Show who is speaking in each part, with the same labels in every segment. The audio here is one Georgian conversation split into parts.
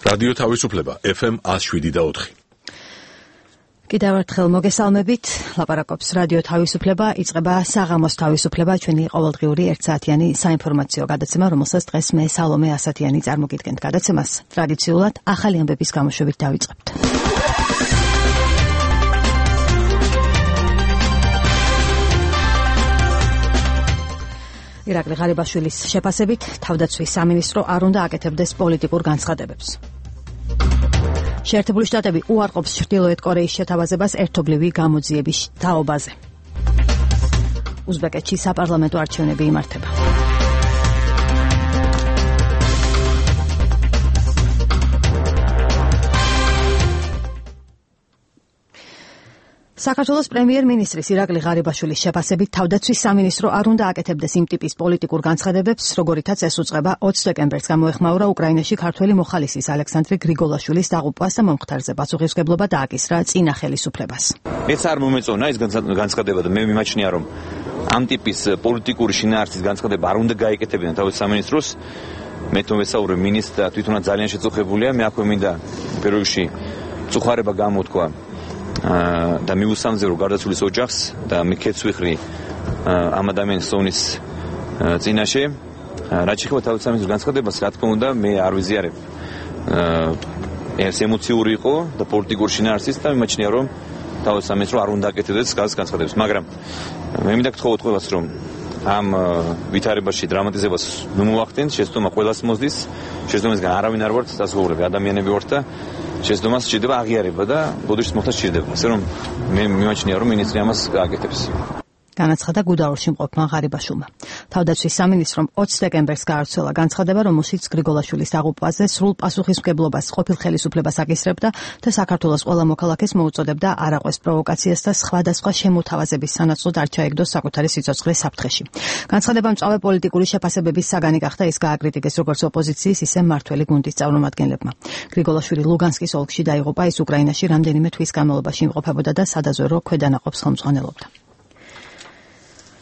Speaker 1: რადიო თავისუფლება FM 107.4.
Speaker 2: კიდევ ერთხელ მოგესალმებით, ლაპარაკობს რადიო თავისუფლება, იწყება საღამოს თავისუფლება, ჩვენი ყოველდღიური ერთსაათიანი საინფორმაციო გადაცემა, რომელსაც დღეს მე სალომე ასათიანი წარმოგიდგენთ. გადაცემას ტრადიციულად ახალი ამბების გამოშვებით დავიწყებთ. ირაკლი ღარიბაშვილის შეფასებით, თავდაცვის სამინისტრო არ უნდა აკეთებდეს პოლიტიკურ განცხადებებს. შეერთებული შტატები უარყოფს ჩრდილოეთ კორეის შეთავაზებას ერთობლივი გამოძიების თაობაზე. უზბეკეთში საპარლამენტო არჩევნები იმართება. საქართველოს პრემიერ-მინისტრის ირაკლი ღარიბაშვილის შეფასებით, თავდაცვის სამინისტრო არ უნდა აკეთებდეს იმ ტიპის პოლიტიკურ განცხადებებს, როგორითაც ეს უწყება 20 დეკემბერს გამოეხმაურა უკრაინაში ქართველი მოხალისის ალექსანდრე გრიგოლაშვილის დაღუპვას და მომხდარზე პასუხისმგებლობა დააკისრა წინა ხელისუფლებას.
Speaker 3: მეც არ მომეწონა ეს განცხადება და მე მიმაჩნია, რომ ამ ტიპის პოლიტიკური შინაარსის განცხადება არ უნდა გაეკეთებინა თავდაცვის სამინისტროს. მე თვითონ ვესაუბრე მინისტრს და თვითონაც ძალიან შეწუხებულია, მე აქვე მინდა პირველ რიგში წუხარება გამოთქვა და მიუსამზერო გარდაცვლის ოჯახს და მიქეც ვიხრი ამ ადამიანის სონის წინაშე. რაც შეეხება თავდაცვის სამინისტროს განცხადებას, რა თქმა უნდა, მე არ ვიზიარებ. ეს ემოციური იყო და პოლიტიკური შინაარსის და მიმაჩნია, რომ თავდაცვის სამინისტრო არ უნდა აკეთებდეს განცხადებებს, მაგრამ მე მინდა გთხოვოთ ყველას, რომ ამ ვითარებაში დრამატიზებას ნუ მოახდენთ, შეცდომა ყველას მოსდის, შეცდომისგან არავინ არ ვართ საზღაურები, ადამიანები ვართ და შეცდომას სჭირდება აღიარება და ბოდიშის მოხდა სჭირდება. ასე რომ მე მიმაჩნია, რომ მინისტრი ამას გააკეთებს.
Speaker 2: განაცხადა გუდაურში მყოფმა ღარიბაშვილმა. თავდაცვის სამინისტრომ 20 დეკემბერს გაავრცელა განცხადება, რომელშიც გრიგოლაშვილის დაღუპვაზე სრულ პასუხისმგებლობას ყოფილ ხელისუფლებას აკისრებდა და საქართველოს ყველა მოქალაქეს მოუწოდებდა არ აყვეს პროვოკაციას და სხვადასხვა შემოთავაზების სანაცვლოდ არ ჩაეგდოს საკუთარი სიცოცხლე საფრთხეში. განცხადება მწვავე პოლიტიკური შეფასებების საგანი გახდა, ის გააკრიტიკეს როგორც ოპოზიციის, ისე მმართველი გუნდის წარმომადგენლებმა. გრიგოლაშვილი ლუგანსკის ოლქში დაიღუპა, ის უკრაინაში რამდენიმე თვის განმავლობაში იმყოფებოდა და სადაზვერვო ქვედანაყოფს ხელმძღვანელობდა.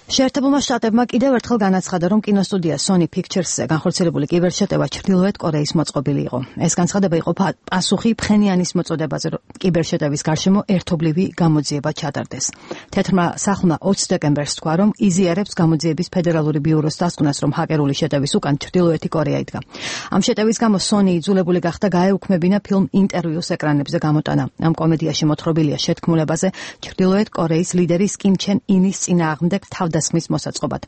Speaker 2: შეერთებულმა შტატებმა კიდევ ერთხელ განაცხადა, რომ კინოსტუდია Sony Pictures-ზე განხორციელებული კიბერშეტევა ჩრდილოეთ კორეის მოწყობილი იყო. ეს განცხადება იყო პასუხი ფხენიანის მოწოდებაზე, რომ კიბერშეტევის გარშემო ერთობლივი გამოძიება ჩატარდეს. თეთრმა სახლმა 20 დეკემბერს თქვა, რომ იზიარებს გამოძიების ფედერალური ბიუროს დასკვნას, რომ ჰაკერული შეტევის უკან ჩრდილოეთი კორეა იდგა. ამ შეტევის გამო Sony იძულებული გახდა გაეუქმებინა ფილმ ინტერვიუს ეკრანებზე გამოტანა. ამ კომედიაში მოთხრობილია შეთქმულებაზე ჩრდილოეთ კორეის ლიდერის კიმ ჩენ ინის წინააღმდეგ დასმის მოსაწყობად.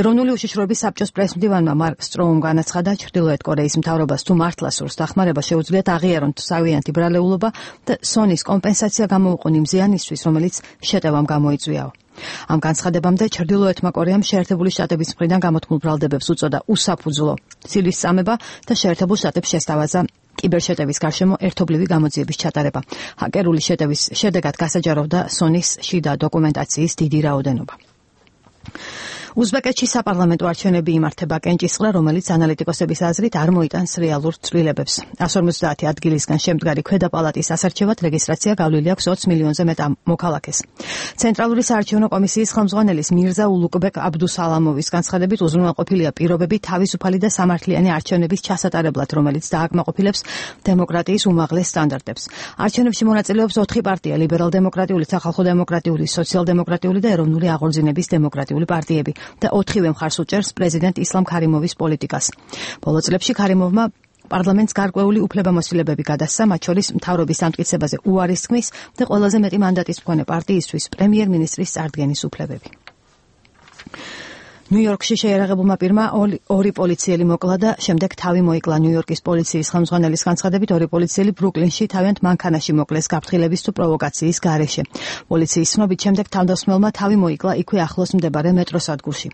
Speaker 2: ეროვნული უშიშროების საბჭოს პრესმდივანმა მარკ სტროუმ განაცხადა, ჩრდილოეთ კორეის მთავრობას თუ მართლა სურს დახმარება, შეუძლიათ აღიარონ თავიანთი ბრალეულობა და Sony-ს კომპენსაცია გამოუყონ იმ ზიანისთვის, რომელიც შეტევამ გამოიწვიაო. ამ განცხადებამდე ჩრდილოეთმა კორეამ შეერთებული შტატების მხრიდან გამოთქმულ ბრალდებებს უწოდა უსაფუძვლო ცივლის წამება და შეერთებულ შტატებს შესთავაზა კიბერშეტევის გარშემო ერთობლივი გამოძიების ჩატარება. ჰაკერული შეტევის შედეგად გასაჯაროვდა Sony-ს შიდა დოკუმენტაციის დიდი რაოდენობა. უზბეკეთში საპარლამენტო არჩევნები იმართება კენჭისყრა, რომელიც ანალიტიკოსების აზრით არ მოიტანს რეალურ ცვლილებებს. 150 ადგილისგან შემდგარი ქვედა პალატის ასარჩევად რეგისტრაცია გავლილი აქვს 20 მილიონზე მეტ მოქალაქეს. ცენტრალური საარჩევნო კომისიის ხელმძღვანელის მირზა ულუგბეკ აბდუსალამოვის განცხადებით, უზრუნველყოფილია პირობები თავისუფალი და სამართლიანი არჩევნების ჩასატარებლად, რომელიც დააკმაყოფილებს დემოკრატიის უმაღლეს სტანდარტებს. არჩევნებში მონაწილეობს 4 პარტია: ლიბერალ-დემოკრატიული, სახალხო დემოკრატიული, სოციალ-დემოკრატიული და ეროვნული აღორძინების დემოკრატიული პარტიები. და 4-ვე მხარს უჭერს პრეზიდენტ ისლამ ქარიმოვის პოლიტიკას. ბოლო წლებში ქარიმოვმა პარლამენტს გარკვეული უფლებამოსილებები გადასცა, მათ შორის მთავრობის დამტკიცებაზე უარის თქმის და ყველაზე მეტი მანდატის მქონე პარტიისთვის პრემიერ-მინისტრის წარდგენის უფლებები. ნიუ-იორკში შეიარაღებულმა პირმა 2 პოლიციელი მოკლა და შემდეგ თავი მოიკლა. ნიუ-იორკის პოლიციის ხელმძღვანელის განცხადებით, 2 პოლიციელი ბრუკლინში თავიანთ მანქანაში მოკლეს გაფრთხილების თუ პროვოკაციის გარეშე. პოლიციის ცნობით, შემდეგ თავდამსხმელმა თავი მოიკლა იქვე ახლოს მდებარე მეტროსადგურში.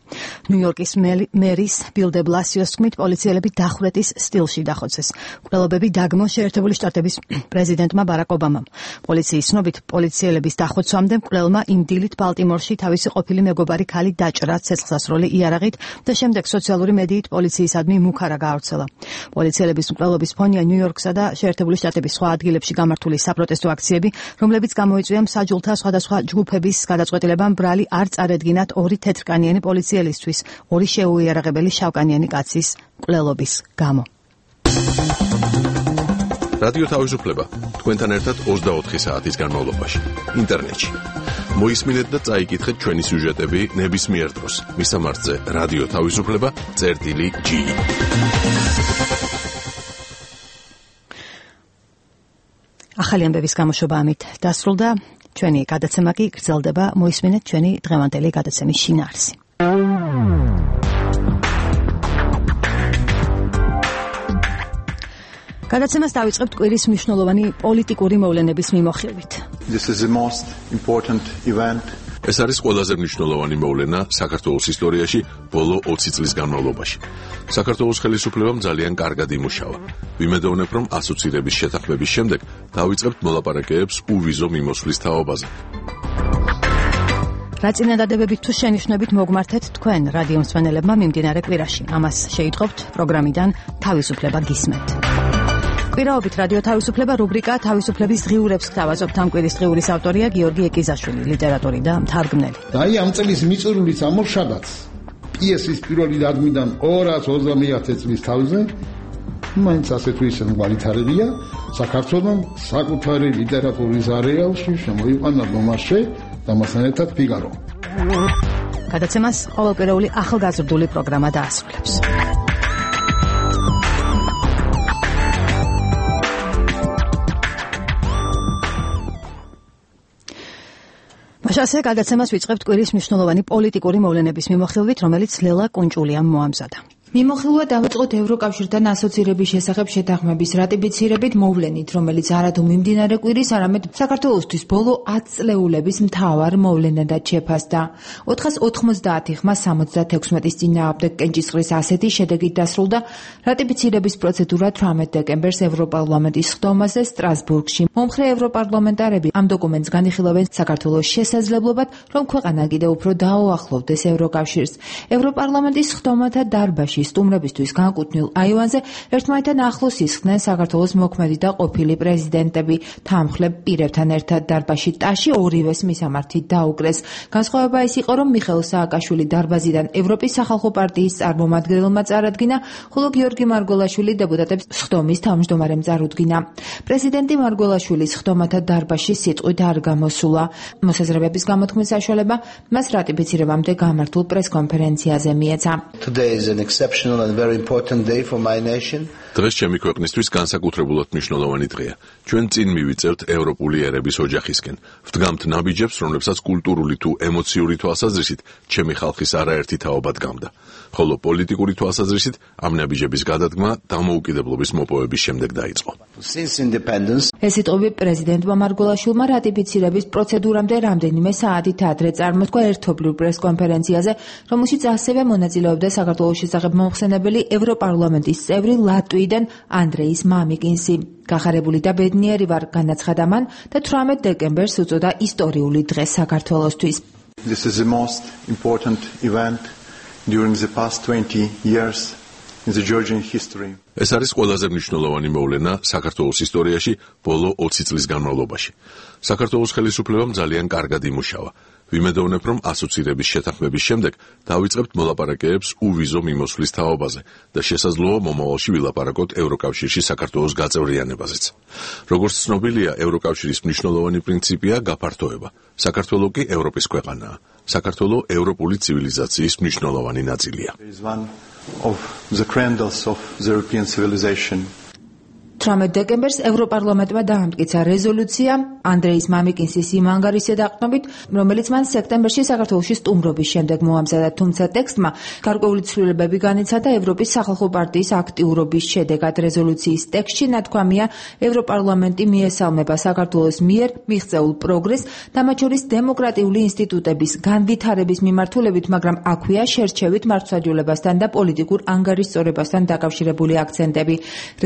Speaker 2: ნიუ-იორკის მერის ბილ დე ბლასიოს თქმით, პოლიციელები დახვრეტის სტილში დახოცეს. მკვლელობები დაგმო შეერთებული შტატების პრეზიდენტმა ბარაკ ობამამ. პოლიციის ცნობით, პოლიციელების დახოცვამდე მკვლელმა იმ დილით ბალტიმორში თავისი ყოფილი მეგობარი ქალი დაჭრა ცეცხლსასროლი იარაღით და შემდეგ სოციალური მედიით პოლიციისადმი მუქარა გაავრცელა. პოლიციელების მკვლელობის ფონია ნიუ-იორკსა და შეერთებული შტატების სხვა ადგილებში გამართული საპროტესტო აქციები, რომლებიც გამოიწვია მსაჯულთა სხვადასხვა ჯგუფების გადაწყვეტილებამ ბრალი არ წარედგინათ 2 თეთრკანიანი პოლიციელისთვის 2 შეუიარაღებელი შავკანიანი კაცის მკვლელობის გამო.
Speaker 1: რადიო თავისუფლება თქვენთან ერთად 24 საათის განმავლობაში ინტერნეტში. მოისმინეთ და წაიკითხეთ ჩვენი სიუჟეტები ნებისმიერ დროს. მისამართზე რადიო თავისუფლება.g.
Speaker 2: ახალი ამბების გამოშვება ამით დასრულდა. ჩვენი გადაცემა კი გრძელდება. მოისმინეთ ჩვენი დღევანდელი გადაცემის შინაარსი. გადაცემას დავიწყებთ კვირის მნიშვნელოვანი პოლიტიკური მოვლენების მიმოხილვით.
Speaker 1: ეს არის ყველაზე მნიშვნელოვანი მოვლენა საქართველოს ისტორიაში ბოლო 20 წლის განმავლობაში. საქართველოს ხელისუფლებამ ძალიან კარგად იმუშავა. ვიმედოვნებ, რომ ასოცირების შეთანხმების შემდეგ დავიწყებთ მოლაპარაკებებს უვიზო მიმოსვლის თაობაზე.
Speaker 2: რა წინადადებებით თუ შენიშვნებით მოგმართეთ თქვენ რადიო მსმენელებმა მიმდინარე კვირაში. ამას შეიტყობთ პროგრამიდან თავისუფლება გისმენთ. კვირაობით რადიო თავისუფლება რუბრიკა თავისუფლების დღიურებს გთავაზობთ. ამ კვირის დღიურის ავტორია გიორგი ეკიზაშვილი, ლიტერატორი და მთარგმნელი.
Speaker 4: აი ამ წლის მიწურულის ამორშადაც პიესის პირველი დადგმიდან 250 წლის თავზე მაინც ასე თუ ისე ვალითარებია საქართველოს საკუთარი ლიტერატურის არეალში შემოიყვანა დომაშე და მასთან ერთად ფიგარო.
Speaker 2: გადაცემას ყოველკვირეული ახალგაზრდული პროგრამა დაასრულებს. მაშასე გადაცემას ვიწყებთ კვირის მნიშვნელოვანი პოლიტიკური მოვლენების მიმოხილვით, რომელიც ლელა კუნჭულიამ მოამზადა.
Speaker 5: მიმოხილვა დავიწყოთ ევროკავშირთან ასოცირების შესახებ შეთანხმების რატიფიცირებით მოვლენით, რომელიც არადუ მიმდინარე კვირის, არამედ საქართველოსთვის ბოლო 10 წლეულების მთავარ მოვლენადაც შეფასდა. 490 ხმა 76-ის წინააღმდეგ კენჭისყრის ასეთი შედეგით დასრულდა რატიფიცირების პროცედურა 18 დეკემბერს ევროპარლამენტის ხდომაზე სტრასბურგში. მომხრე ევროპარლამენტარები ამ დოკუმენტს განიხილავენ საქართველოს შესაძლებლობად, რომ ქვეყანა კიდევ უფრო დაუახლოვდეს ევროკავშირს. ევროპარლამენტის ხდომათა დარბაზში სტუმრებისთვის განკუთვნილ აივანზე ერთმანეთთან ახლოს ისხდნენ საქართველოს მოქმედი და ყოფილი პრეზიდენტები. თანმხლებ პირებთან ერთად დარბაზში ტაში ორივეს მისამართი დაუკრეს. განსხვავება ის იყო, რომ მიხეილ სააკაშვილი დარბაზიდან ევროპის სახალხო პარტიის წარმომადგენელმა წარადგინა, ხოლო გიორგი მარგველაშვილი დეპუტატებს სხდომის თავმჯდომარემ წარუდგინა. პრეზიდენტი მარგველაშვილის სხდომათა დარბაზში სიტყვით არ გამოსულა. მოსაზრებების გამოთქმის საშუალება მას რატიფიცირებამდე გამართულ პრესკონფერენციაზე მიეცა.
Speaker 1: დღეს ჩემი ქვეყნისთვის განსაკუთრებულად მნიშვნელოვანი დღეა. ჩვენ წინ მივიწევთ ევროპული ერების ოჯახისკენ. ვდგამთ ნაბიჯებს, რომლებსაც კულტურული თუ ემოციური თვალსაზრისით ჩემი ხალხის არაერთი თაობა დგამდა. ხოლო პოლიტიკური თვალსაზრისით ამ ნაბიჯების გადადგმა დამოუკიდებლობის მოპოვების შემდეგ დაიწყო.
Speaker 5: ეს სიტყვები პრეზიდენტმა მარგველაშვილმა რატიფიცირების პროცედურამდე რამდენიმე საათით ადრე წარმოთქვა ერთობლივ პრესკონფერენციაზე, რომელშიც ასევე მონაწილეობდა საქართველოს შესახებ მომხსენებელი ევროპარლამენტის წევრი ლატვიიდან ანდრეის მამიკინსი. გახარებული და ბედნიერი ვარ, განაცხადა მან და 18 დეკემბერს უწოდა ისტორიული დღე საქართველოსთვის.
Speaker 6: This is the most important event during the past 20 years in the Georgian history.
Speaker 1: ეს არის ყველაზე მნიშვნელოვანი მოვლენა საქართველოს ისტორიაში ბოლო 20 წლის განმავლობაში. საქართველოს ხელისუფლებამ ძალიან კარგად იმუშავა. ვიმედოვნებ, რომ ასოცირების შეთანხმების შემდეგ დავიწყებთ მოლაპარაკებებს უვიზო მიმოსვლის თაობაზე და შესაძლოა მომავალში ვილაპარაკოთ ევროკავშირში საქართველოს გაწევრიანებაზეც. როგორც ცნობილია, ევროკავშირის მნიშვნელოვანი პრინციპია გაფართოება. საქართველო კი ევროპის ქვეყანაა. საქართველო ევროპული ცივილიზაციის მნიშვნელოვანი ნაწილია.
Speaker 5: 18 დეკემბერს ევროპარლამენტმა დაამტკიცა რეზოლუცია ანდრეის მამიკინსის იმ ანგარიშზე დაყრდნობით, რომელიც მან სექტემბერში საქართველოში სტუმრობის შემდეგ მოამზადა, თუმცა ტექსტმა გარკვეული ცვლილებები განიცადა ევროპის სახალხო პარტიის აქტიურობის შედეგად. რეზოლუციის ტექსტში ნათქვამია, ევროპარლამენტი მიესალმება საქართველოს მიერ მიღწეულ პროგრესს, მათ შორის დემოკრატიული ინსტიტუტების განვითარების მიმართულებით, მაგრამ აქვეა შერჩევით მართლმსაჯულებასთან და პოლიტიკურ ანგარიშწორებასთან დაკავშირებული აქცენტები.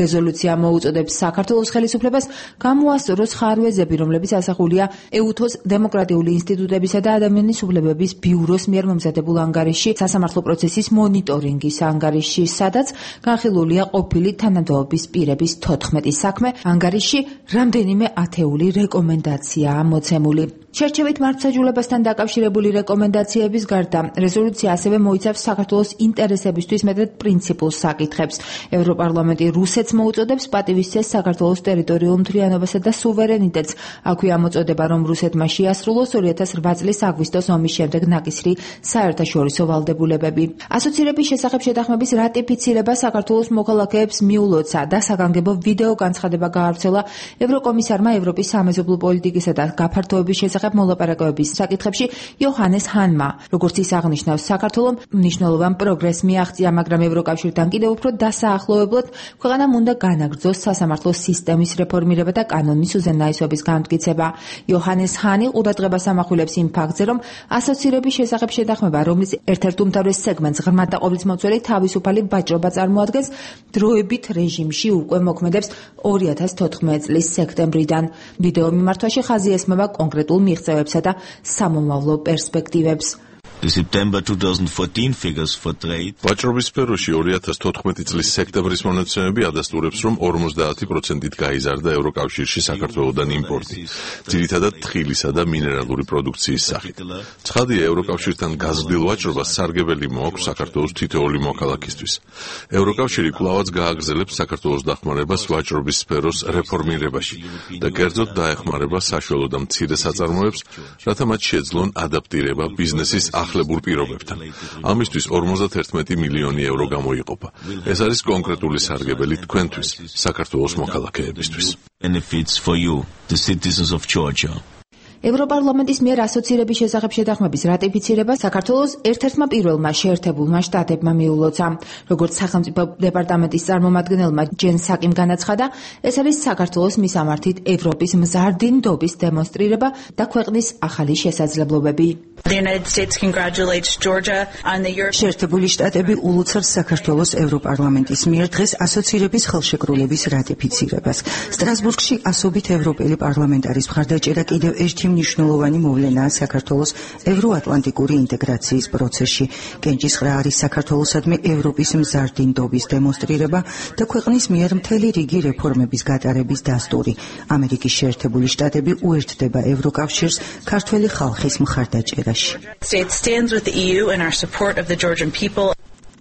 Speaker 5: რეზოლუცია მოუწოდებს საქართველოს ხელისუფლებას გამოასწოროს ხარვეზები, რომლებიც ასახულია ეუთოს დემოკრატიული ინსტიტუტებისა და ადამიანის უფლებების ბიუროს მიერ მომზადებულ ანგარიშში, სასამართლო პროცესის მონიტორინგის ანგარიშში, სადაც განხილულია ყოფილი თანამდებობის პირების 14 საქმე. ანგარიშში რამდენიმე ათეული რეკომენდაციაა მოცემული. შერჩევით მართლმსაჯულებასთან დაკავშირებული რეკომენდაციების გარდა რეზოლუცია ასევე მოიცავს საქართველოს ინტერესებისთვის მეტად პრინციპულ საკითხებს. ევროპარლამენტი რუსეთს მოუწოდებს პატივისცეს საქართველოს ტერიტორიულ მთლიანობასა და სუვერენიტეტს. აქვე ამოწოდება, რომ რუსეთმა შეასრულოს 2008 წლის აგვისტოს ომის შემდეგ ნაკისრი საერთაშორისო ვალდებულებები. ასოცირების შესახებ შეთანხმების რატიფიცირება საქართველოს მოქალაქეებს მიულოცა და საგანგებო ვიდეო განცხადება გაავრცელა ევროკომისარმა ევროპის სამეზობლო პოლიტიკისა და გაფართოების შესახებ მოლაპარაკებების საკითხებში იოჰანეს ჰანმა. როგორც ის აღნიშნავს, საქართველომ მნიშვნელოვან პროგრესს მიაღწია, მაგრამ ევროკავშირთან კიდევ უფრო დასაახლოებლად ქვეყანამ უნდა განაგრძოს სასამართლო სისტემის რეფორმირება და კანონის უზენაესობის განმტკიცება. იოჰანეს ჰანი ყურადღებას ამახვილებს იმ ფაქტზე, რომ ასოცირების შესახებ შეთანხმება, რომლის ერთ-ერთ უმთავრეს სეგმენტს ღრმად და ყოვლისმომცველი თავისუფალი ვაჭრობა წარმოადგენს, დროებით რეჟიმში უკვე მოქმედებს 2014 წლის სექტემბრიდან. ვიდეო მიმართვაში ხაზი ესმება კონკრეტულ მიღწევებსა და სამომავლო პერსპექტივებს.
Speaker 7: The September 2014 figures for trade.
Speaker 1: ვაჭრობის სფეროში 2014 წლის სექტემბრის მონაცემები ადასტურებს, რომ 50%-ით გაიზარდა ევროკავშირში საქართველოდან იმპორტი, ძირითადად თხილისა და მინერალური პროდუქციის სახით. ცხადია, ევროკავშირთან გაზრდილ ვაჭრობას სარგებელი მოაქვს საქართველოს თითოეული მოქალაქისთვის. ევროკავშირი კვლავაც გააგრძელებს საქართველოს დახმარებას ვაჭრობის სფეროს რეფორმირებაში და კერძოდ დაეხმარება საშუალო და მცირე საწარმოებს, რათა მათ შეძლონ ადაპტირება ბიზნესის ახლებურ პირობებთან. ამისთვის 51 მილიონი ევრო გამოიყოფა. ეს არის კონკრეტული სარგებელი თქვენთვის, საქართველოს მოქალაქეებისთვის.
Speaker 7: Benefits for you, the citizens of Georgia.
Speaker 5: ევროპარლამენტის მიერ ასოცირების შესახებ შეთანხმების რატიფიცირება საქართველოს ერთ-ერთმა პირველმა შეერთებულმა შტატებმა მიულოცა. როგორც სახელმწიფო დეპარტამენტის წარმომადგენელმა ჯენ საკიმ განაცხადა, ეს არის საქართველოს მისამართით ევროპის მზარდი ნდობის დემონსტრირება და ქვეყნის ახალი შესაძლებლობები.
Speaker 8: შეერთებული შტატები ულოცავს საქართველოს ევროპარლამენტის მიერ დღეს ასოცირების ხელშეკრულების რატიფიცირებას. სტრასბურგში ასობით ევროპელი პარლამენტარის მხარდაჭერა კიდევ ერთი მნიშვნელოვანი მოვლენაა საქართველოს ევროატლანტიკური ინტეგრაციის პროცესში. კენჭისყრა არის საქართველოსადმი ევროპის მზარდი ნდობის დემონსტრირება და ქვეყნის მიერ მთელი რიგი რეფორმების გატარების დასტური. ამერიკის შეერთებული შტატები უერთდება ევროკავშირს ქართველი ხალხის მხარდაჭერაში.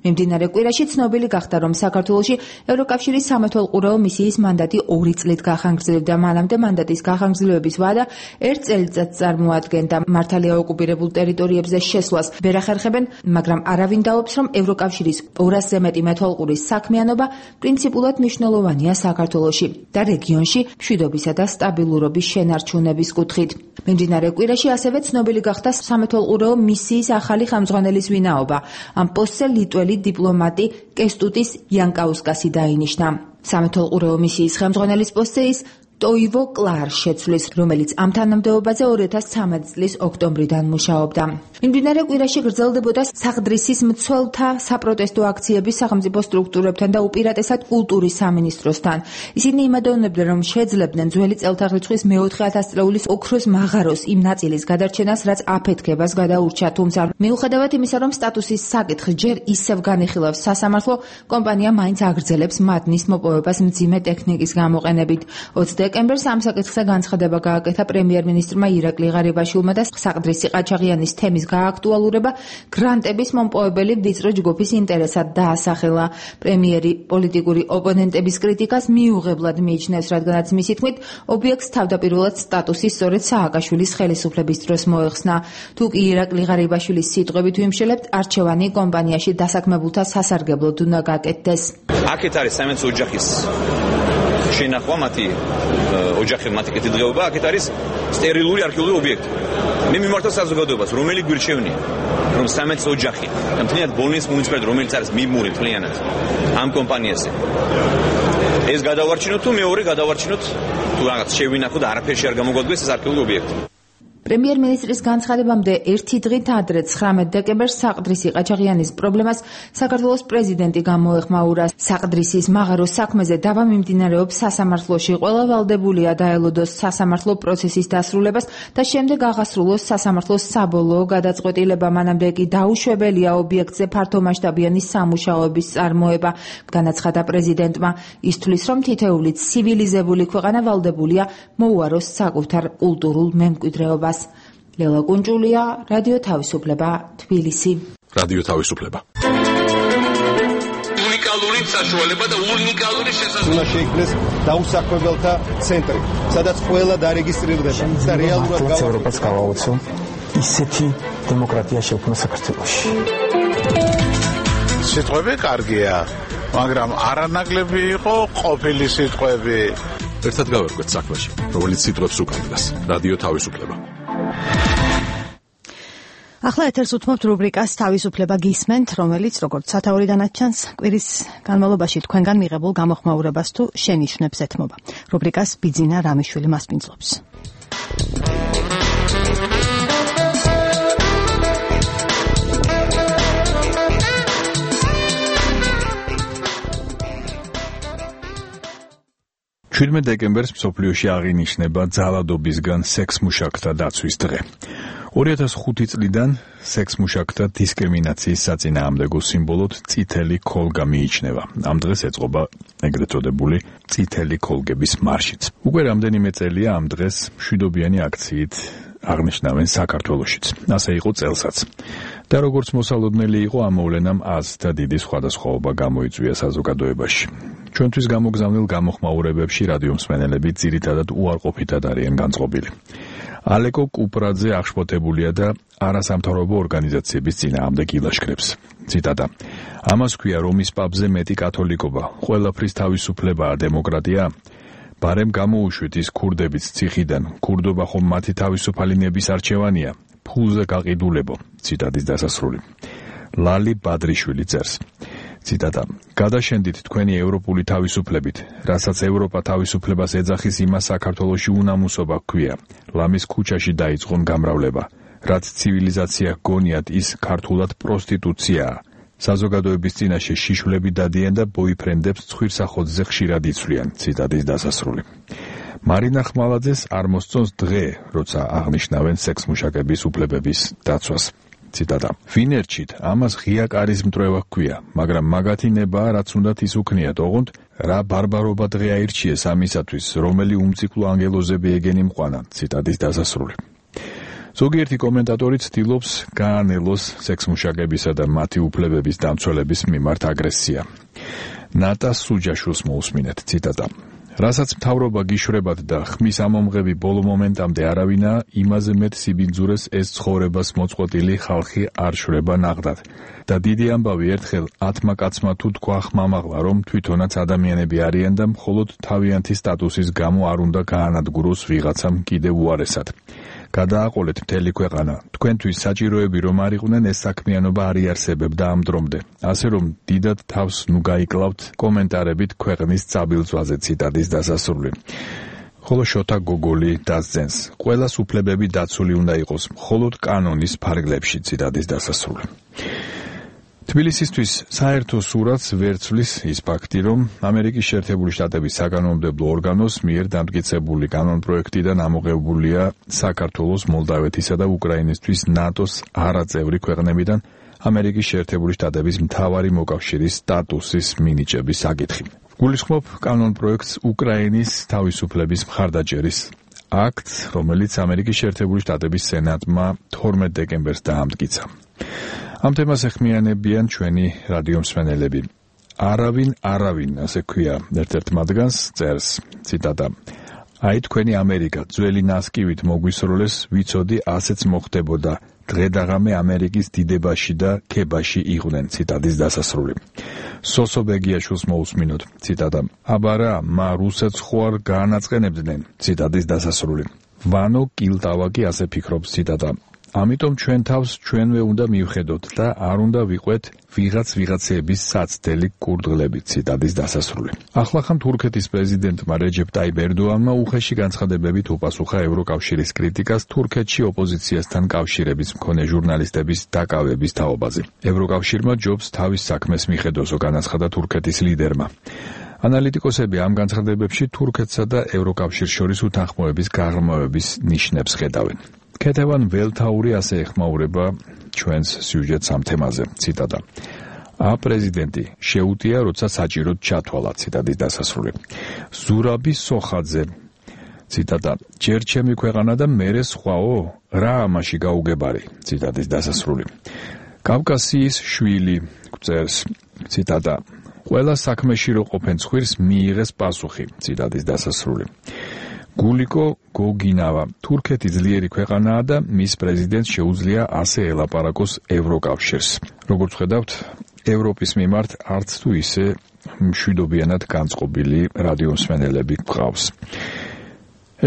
Speaker 5: მიმდინარე კვირაში ცნობილი გახდა, რომ საქართველოში ევროკავშირის სამეთვალყურეო მისიის მანდატი 2 წლით გახანგრძლივდა. მანამდე მანდატის გახანგრძლივების ვადა 1 წელიწადს წარმოადგენდა. მართალია ოკუპირებულ ტერიტორიებზე შესვლას ვერ ახერხებენ, მაგრამ არავინ დაობს, რომ ევროკავშირის 200-ზე მეტი მეთვალყურის საქმიანობა პრინციპულად მნიშვნელოვანია საქართველოში და რეგიონში მშვიდობისა და სტაბილურობის შენარჩუნების კუთხით. მიმდინარე კვირაში ასევე ცნობილი გახდა სამეთვალყურეო მისიის ახალი ხელმძღვანელის ვინაობა. ამ პოსტზე ლიტველი დიპლომატი კესტუტის იანკაუსკასი დაინიშნა. სამეთვალყურეო მისიის ხელმძღვანელის პოსტზე ის ტოივო კლარ შეცვლის, რომელიც ამ თანამდებობაზე 2013 წლის ოქტომბრიდან მუშაობდა. მიმდინარე კვირაში გრძელდებოდა საღდრისის მცველთა საპროტესტო აქციები სახელმწიფო სტრუქტურებთან და უპირატესად კულტურის სამინისტროსთან. ისინი იმედოვნებდნენ, რომ შეძლებდნენ ძველი წელთაღრიცხვის მე-4 ათასწლეულის ოქროს მაღაროს იმ ნაწილის გადარჩენას, რაც აფეთქებას გადაურჩა. თუმცა მიუხედავად იმისა, რომ სტატუსის საკითხი ჯერ ისევ განიხილავს სასამართლო, კომპანია მაინც აგრძელებს მადნის მოპოვებას მძიმე ტექნიკის გამოყენებით. დეკემბერს ამ საკითხზე განცხადება გააკეთა პრემიერ-მინისტრმა ირაკლი ღარიბაშვილმა და საყდრისი ყაჩაღიანის თემის გააქტუალურება გრანტების მომპოვებელი ვიწრო ჯგუფის ინტერესად დაასახელა. პრემიერი პოლიტიკური ოპონენტების კრიტიკას მიუღებლად მიიჩნევს, რადგანაც მისი თქმით, ობიექტს თავდაპირველად სტატუსი სწორედ სააკაშვილის ხელისუფლების დროს მოეხსნა. თუ კი ირაკლი ღარიბაშვილის სიტყვებით ვიმშელებთ, არჩევანი კომპანიაში დასაქმებულთა სასარგებლოდ უნდა გაკეთდეს.
Speaker 3: აქეთ არის საიმედო ოჯახის შენახვა მათი ოჯახი მათი კეთილდღეობა, აქეთ არის სტერილური არქეოლოგიური ობიექტი. მე მიმართავ საზოგადოებას, რომელი გვირჩევნია, რომ საიმედო ოჯახი და მთლიანად ბოლნიის მუნიციპალიტეტი, რომელიც არის მიმური მთლიანად ამ კომპანიაზე, ეს გადავარჩინოთ თუ მეორე გადავარჩინოთ თუ რაღაც შევინახოთ და არაფერში არ გამოგვადგეს ეს არქეოლოგიური ობიექტი.
Speaker 5: პრემიერ-მინისტრის განცხადებამდე ერთი დღით ადრე 19 დეკემბერს საყდრისი ყაჩაღიანის პრობლემას საქართველოს პრეზიდენტი გამოეხმაურა. საყდრისის მაღაროს საქმეზე დავა მიმდინარეობს სასამართლოში. ყველა ვალდებულია დაელოდოს სასამართლო პროცესის დასრულებას და შემდეგ აღასრულოს სასამართლოს საბოლოო გადაწყვეტილება. მანამდე კი დაუშვებელია ობიექტზე ფართომასშტაბიანი სამუშაოების წარმოება. განაცხადა პრეზიდენტმა. ის თვლის, რომ თითოეული ცივილიზებული ქვეყანა ვალდებულია მოუაროს საკუთარ კულტურულ მემკვიდრეობას. ლელა კუნჭულია, რადიო თავისუფლება, თბილისი.
Speaker 1: რადიო თავისუფლება.
Speaker 9: უნიკალური საშუალება და უნიკალური შესაძლებლობა.
Speaker 10: უნდა შეიქმნეს დაუსაქმებელთა ცენტრი, სადაც ყველა დარეგისტრირდება და რეალურად
Speaker 11: ევროპას გავაოცო ისეთი დემოკრატია შექმნა საქართველოში.
Speaker 12: სიტყვები კარგია, მაგრამ არანაკლები იყო ყოფილი სიტყვები.
Speaker 1: ერთად გავერკვეთ საქმეში, რომელიც სიტყვებს უკავშირდება. რადიო თავისუფლება.
Speaker 2: ახლა ეთერს უთმობთ რუბრიკას თავისუფლება გისმენთ, რომელიც როგორც სათაურიდანაც ჩანს, კვირის განმავლობაში თქვენგან მიღებულ გამოხმაურებას თუ შენიშვნებს ეთმობა. რუბრიკას ბიძინა რამიშვილი მასპინძლობს.
Speaker 13: დეკემბერს მსოფლიოში აღინიშნება ძალადობისგან სექსმუშაკთა დაცვის დღე. 2005 წლიდან სექსმუშაკთა დისკრიმინაციის საწინააღმდეგო სიმბოლოდ წითელი ქოლგა მიიჩნევა. ამ დღეს ეწყობა ეგრეთ წოდებული წითელი ქოლგების მარშიც. უკვე რამდენიმე წელია ამ დღეს მშვიდობიანი აქციით აღნიშნავენ საქართველოშიც. ასე იყო წელსაც. და როგორც მოსალოდნელი იყო ამ მოვლენამ აზრთა დიდი სხვადასხვაობა გამოიწვია საზოგადოებაში. ჩვენთვის გამოგზავნილ გამოხმაურებებში რადიო მსმენელები ძირითადად უარყოფითად არიან განწყობილი. ალეკო კუპრაძე აღშფოთებულია და არასამთავრობო ორგანიზაციების წინააღმდეგ ილაშქრებს. ციტატა: ამას ქვია რომის პაპზე მეტი კათოლიკობა, ყველაფრის თავისუფლებაა დემოკრატია. ბარემ გამოუშვით ის ქურდებიც ციხიდან, ქურდობა ხომ მათი თავისუფალი ნების არჩევანია, ფულზე გაყიდულებო. ციტატის დასასრული. ლალი ბადრიშვილი წერს. ციტატა: გადაშენდით თქვენი ევროპული თავისუფლებით, რასაც ევროპა თავისუფლებას ეძახის, იმას საქართველოში უნამუსობა ჰქვია. ლამის ქუჩაში დაიწყონ გამრავლება. რაც ცივილიზაცია გონიათ, ის ქართულად პროსტიტუციაა. საზოგადოების წინაშე შიშვლები დადიან და ბოიფრენდებს ცხვირსახოძზე ხშირად იცვლიან. ციტატის დასასრული. მარინა ხმალაძეს არ მოსწონს დღე, როცა აღნიშნავენ სექსმუშაკების უფლებების დაცვას. ციტატა: ვინერჩით, ამას ღია კარის მტრევა ჰქვია, მაგრამ მაგათი ნება, რაც უნდათ ის უქნიათ, ოღონდ რა ბარბარობა დღე აირჩიეს ამისათვის, რომელი უმციკლო ანგელოზები ეგენი მყვანა. ციტატის დასასრული. ზოგიერთი კომენტატორი ცდილობს გაანელოს სექსმუშაკებისა და მათი უფლებების დამცველების მიმართ აგრესია. ნატა სუჯაშვილს მოусმინეთ. ციტატა: რასაც მთავრობა გიშვრებათ და ხმის ამომღები ბოლო მომენტამდე არავინა, იმაზე მეტ სიბინძურეს ეს ცხოვრებას მოწყვეტილი ხალხი არ შვრება ნაღდად. და დიდი ამბავი ერთხელ 10 კაცმა თუ თქვა ხმამაღლა, რომ თვითონაც ადამიანები არიან და მხოლოდ თავიანთი სტატუსის გამო არ უნდა გაანადგუროს ვიღაცამ კიდევ უარესად. გადააყოლეთ მთელი ქვეყანა. თქვენთვის საჭიროები რომ არ იყვნენ, ეს საქმიანობა არ იარსებებდა ამ დრომდე. ასე რომ დიდად თავს ნუ გაიკლავთ კომენტარებით ქვეყნის წაბილწვაზე. ციტატის დასასრული. ხოლო შოთა გოგოლი დასძენს: ყველას უფლებები დაცული უნდა იყოს, მხოლოდ კანონის ფარგლებში. ციტატის დასასრული. თბილისისთვის საერთო სურათს ვერცვლის ის ფაქტი, რომ ამერიკის შეერთებული შტატების საკანონმდებლო ორგანოს მიერ დამტკიცებული კანონპროექტიდან ამოღებულია საქართველოს, მოლდავეთისა და უკრაინისთვის ნატოს არაწევრი ქვეყნებიდან ამერიკის შეერთებული შტატების მთავარი მოკავშირის სტატუსის მინიჭების საკითხი. გულისხმობ კანონპროექტს უკრაინის თავისუფლების მხარდაჭერის აქტს, რომელიც ამერიკის შეერთებული შტატების სენატმა 12 დეკემბერს დაამტკიცა. ამ თემას ეხმიანებიან ჩვენი რადიო მსმენელები. არავინ, ასე ქვია ერთ-ერთ მათგანს, წერს. ციტატა: აი თქვენი ამერიკა ძველი ნასკივით მოგვისროლეს, ვიცოდი ასეც მოხდებოდა. დღედაღამე ამერიკის დიდებაში და ქებაში იყვნენ. ციტატის დასასრული. სოსო ბეგიაშვილს მოусმინოთ. ციტატა: აბარა, მა რუსეთს ხო არ გაანაწყენებდნენ. ციტატის დასასრული. ვანო კილტავაკი ასე ფიქრობს. ციტატა: ამიტომ ჩვენ თავს ჩვენვე უნდა მივხედოთ და არ უნდა ვიყვეთ ვიღაცეების საცდელი კურდღლებით. ციტატის დასასრული. ახლახან თურქეთის პრეზიდენტმა რეჯეფ ტაიპ ერდოანმა უხეში განცხადებებით უპასუხა ევროკავშირის კრიტიკას თურქეთში ოპოზიციასთან კავშირების მქონე ჟურნალისტების დაკავების თაობაზე. ევროკავშირმა ჯობს თავის საქმეს მიხედოსო, განაცხადა თურქეთის ლიდერმა. ანალიტიკოსები ამ განცხადებებში თურქეთსა და ევროკავშირს შორის უთანხმოების გაღრმავების ნიშნებს ხედავენ. ქეთევან ველთაური ასე ეხმაურება ჩვენს სიუჟეტს ამ თემაზე. ციტატა: პრეზიდენტი შეუტია, როცა საჭიროდ ჩათვალა. ციტატის დასასრული. ზურაბი სოხაძე. ციტატა ჯერ ჩემი ქვეყანა და მერე სხვაო რა ამაში გაუგებარი ციტატის დასასრული კავკასიის შვილი წერს ციტატა ყველა საქმეში რო ყოფენ ცხვირს მიიღეს პასუხი ციტატის დასასრული გულიკო გოგინავა თურქეთი ძლიერი ქვეყანაა და მის პრეზიდენტს შეუძლია ასე ელაპარაკოს ევროკავშირს როგორც ხედავთ ევროპის მიმართ არც თუ ისე მშვიდობიანად განწყობილი რადიომსმენელები გყავს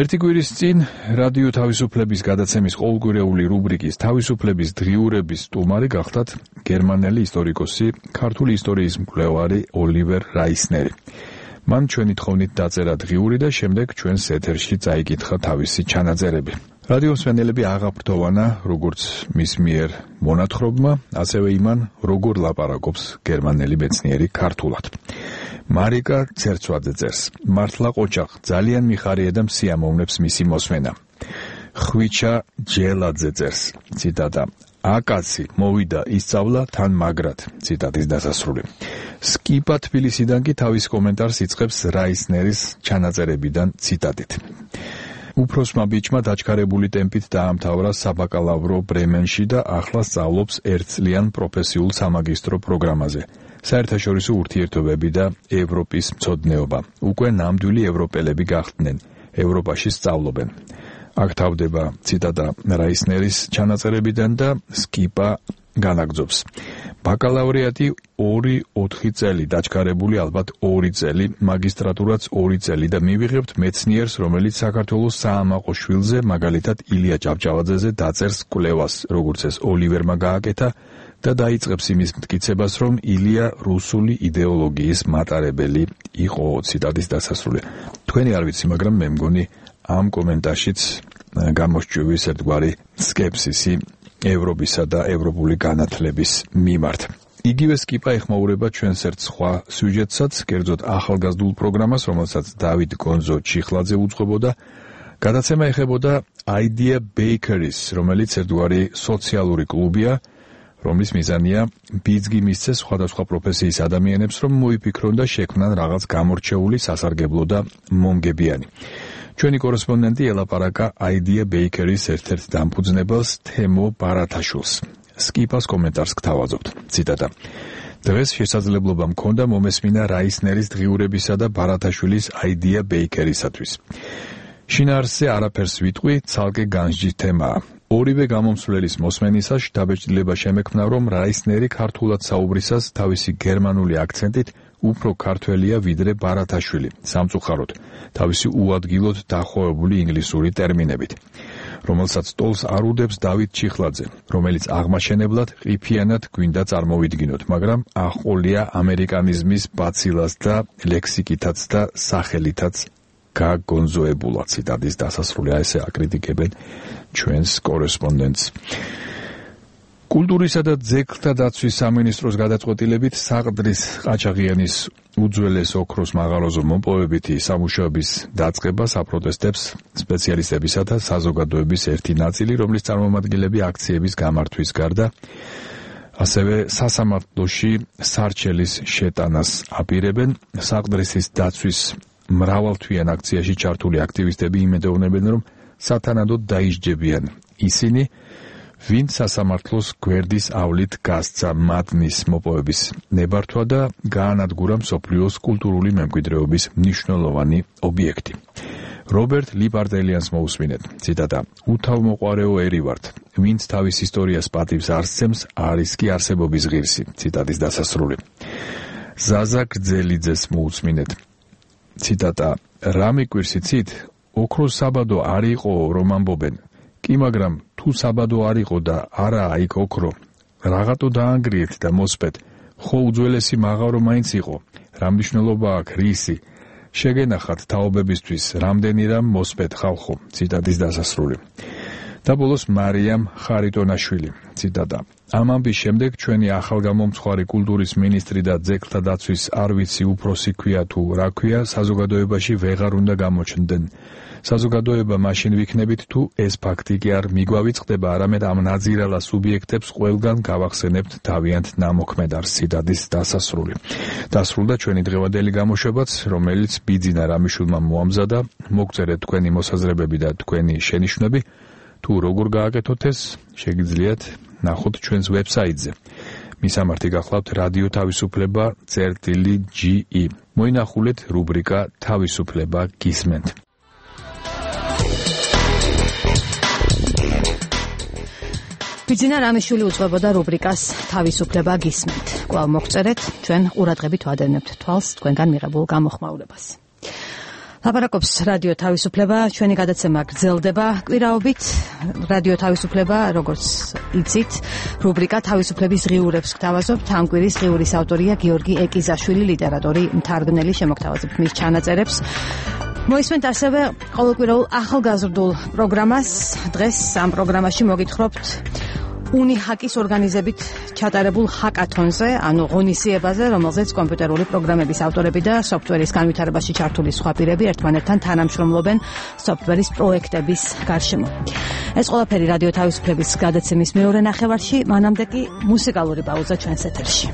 Speaker 13: ერთი კვირის წინ რადიო თავისუფლების გადაცემის ყოველკვირეული რუბრიკის თავისუფლების დღიურების სტუმარი გახდათ გერმანელი ისტორიკოსი ქართული ისტორიის მკვლევარი ოლივერ რაისნერი მან ჩვენი თხოვნით დაწერა დღიური და შემდეგ ჩვენს ეთერში წაიკითხა თავისი ჩანაწერები რადიომსმენელები აღაფრთოვანა როგორც მის მიერ მონათხრობმა ასევე იმან როგორ ლაპარაკობს გერმანელი მეცნიერი ქართულად მარიკა ცერცვაძე წერს მართლა ყოჩახ ძალიან მიხარია და მსიამოვნებს მისი მოსმენა ხვიჩა ჯელაძე წერს ციტატა აკაცი მოვიდა ისწავლა თან მაგრად ციტატის დასასრული სკიპა თბილისიდან კი თავის კომენტარს იწყებს რაისნერის ჩანაწერებიდან ციტატით უფროსმა ბიჭმა დაჩქარებული ტემპით დაამთავრა საბაკალავრო ბრემენში და ახლა სწავლობს ერთწლიან პროფესიულ სამაგისტრო პროგრამაზე საერთაშორისო ურთიერთობები და ევროპის მცოდნეობა უკვე ნამდვილი ევროპელები გახდნენ ევროპაში სწავლობენ აქ თავდება ციტატა რაისნერის ჩანაწერებიდან და სკიპა განაგძობს ბაკალავრიატი 2-4 წელი დაჩქარებული ალბათ 2 წელი მაგისტრატურაც 2 წელი და მივიღებთ მეცნიერს რომელიც საქართველოს საამაყო შვილზე მაგალითად ილია ჭავჭავაძეზე დაწერს კვლევას როგორც ეს ოლივერმა გააკეთა და დაიწყებს იმის მტკიცებას რომ ილია რუსული იდეოლოგიის მატარებელი იყო ციტატის დასასრული თქვენი არ ვიცი მაგრამ მე მგონი ამ კომენტარშიც გამოსჭვივის ერთგვარი სკეპსისი ევროპისა და ევროპული განათლების მიმართ. იგივე სკიპა ეხმაურება ჩვენს ერთ სხვა სიუჟეტსაც, კერძოდ ახალგაზრდულ პროგრამას, რომელსაც დავით გონზო ჩიხლაძე უძღვებოდა. გადაცემა ეხებოდა Idea Bakeries, რომელიც ერთგვარი სოციალური კლუბია, რომლის მიზანია ბიძგი მისცეს სხვადასხვა პროფესიის ადამიანებს, რომ მოიფიქრონ და შექმნან რაღაც გამორჩეული, სასარგებლო და მომგებიანი. ჩვენი კორესპონდენტი ელაპარაკა Idea Bakeries ერთ-ერთ დამფუძნებელს თემო ბარათაშვილს. სკიპას კომენტარს გთავაზობთ. ციტატა. დღეს შესაძლებლობა მქონდა მომესმინა რაისნერის დღიურებისა და ბარათაშვილის Idea Bakeries-ისთვის. შინაარსზე არაფერს ვიტყვი, ცალკე განსჯის თემაა. ორივე გამომსვლელის მოსმენისას შთაბეჭდილება შემექმნა, რომ რაისნერი ქართულად საუბრისას თავისი გერმანული აქცენტით უფრო ქართველია ვიდრე ბარათაშვილი, სამწუხაროდ, თავისი უადგილოდ დახოვებული ინგლისური ტერმინებით, რომელსაც ტოლს არ უდებს დავით ჩიხლაძე, რომელიც აღმაშენებლად ყიფიანად გვინდა წარმოვიდგინოთ, მაგრამ აღყოლია ამერიკანიზმის ბაცილას და ლექსიკითაც და სახელითაც გაგონზოებულა. ციტატის დასასრული ესე აკრიტიკებენ ჩვენს კორესპონდენტს. კულტურისა და ძეგლთა დაცვის სამინისტროს გადაწყვეტილებით საყდრის ყაჩაღიანის უძველეს ოქროს მაღაროზე მომპოვებითი სამუშაოების დაწყებას აპროტესტებს სპეციალისტებისა და საზოგადოების ერთი ნაწილი, რომლის წარმომადგენლები აქციების გამართვის გარდა ასევე სასამართლოში სარჩელის შეტანას აპირებენ. საყდრისის დაცვის მრავალთვიან აქციაში ჩართული აქტივისტები იმედოვნებენ, რომ სათანადოდ დაისჯებიან ისინი, ვინც სასამართლოს გვერდის ავლით გასცა მადნის მოპოვების ნებართვა და გაანადგურა მსოფლიოს კულტურული მემკვიდრეობის მნიშვნელოვანი ობიექტი. რობერტ ლიპარდელიანს მოусმინეთ. ციტატა. უთავმოყვარეო ერი ვართ, ვინც თავის ისტორიას პატივს არ სცემს, არის კი არსებობის ღირსი. ციტატის დასასრული. ზაზა გრძელიძეს მოусმინეთ. ციტატა. რა მიკვირს იცით? ოქროს საბადო არ იყო რომ ამბობენ. კი, მაგრამ თუ საბადო არ იყო და არაა იქ ოქრო, რაღაცო დაანგრიეთ და მოსპეთ, ხო უძველესი მაღარო მაინც იყო, რა მნიშვნელობა აქვს რისი? შეგენახათ თაობებისთვის, რამდენი რამ მოსპეთ ხალხო. ციტატის დასასრული. და ბოლოს მარიამ ხარიტონაშვილი. ციტატა. ამ ამბის შემდეგ ჩვენი ახალგამომცხვარი კულტურის მინისტრი და ძეგლთა დაცვის არ ვიცი უფროსი ქვია თუ რა ქვია, საზოგადოებაში ვეღარ უნდა გამოჩნდნენ. საზოგადოება მაშინ ვიქნებით თუ ეს ფაქტი კი არ მიგვავიწყდება, არამედ ამ ნაძირალა სუბიექტებს ყველგან გავახსენებთ თავიანთ ნამოქმედარს. ციტატის დასასრული. დასრულდა ჩვენი დღევანდელი გამოშვებაც, რომელიც ბიძინა რამიშვილმა მოამზადა. მოგწერეთ თქვენი მოსაზრებები და თქვენი შენიშვნები. თუ როგორ გააკეთოთ ეს, შეგიძლიათ ნახოთ ჩვენს ვებსაიტზე. მისამართი გახლავთ რადიო თავისუფლება წერტილი.ge. მოინახულეთ რუბრიკა თავისუფლება გისმენთ.
Speaker 2: ბიძინა რამიშვილი უძღვებოდა რუბრიკას თავისუფლება გისმენთ. კვლავ მოგწერეთ, ჩვენ ყურადღებით ვადევნებთ თვალს თქვენგან მიღებულ გამოხმაურებას. ლაპარაკობს რადიო თავისუფლება, ჩვენი გადაცემა გრძელდება კვირაობით. რადიო თავისუფლება, როგორც იცით, რუბრიკა თავისუფლების ღიურებს გთავაზობთ. ამ კვირის ღიურის ავტორია გიორგი ეკიზაშვილი, ლიტერატორი, მთარგმნელი, შემოგთავაზებთ მის ჩანაწერებს. მოისმენთ ასევე ყოველკვირეულ ახალგაზრდულ პროგრამას. დღეს ამ პროგრამაში მოგითხრობთ უნიჰაკის ორგანიზებით ჩატარებულ ჰაკათონზე, ანუ ღონისძიებაზე, რომელზეც კომპიუტერული პროგრამების ავტორები და სოფტვერის განვითარებაში ჩართული სხვა პირები ერთმანეთთან თანამშრომლობენ სოფტვერის პროექტების გარშემო. ეს ყველაფერი რადიო თავისუფლების გადაცემის მეორე ნახევარში, მანამდე კი მუსიკალური პაუზა ჩვენს ეთერში.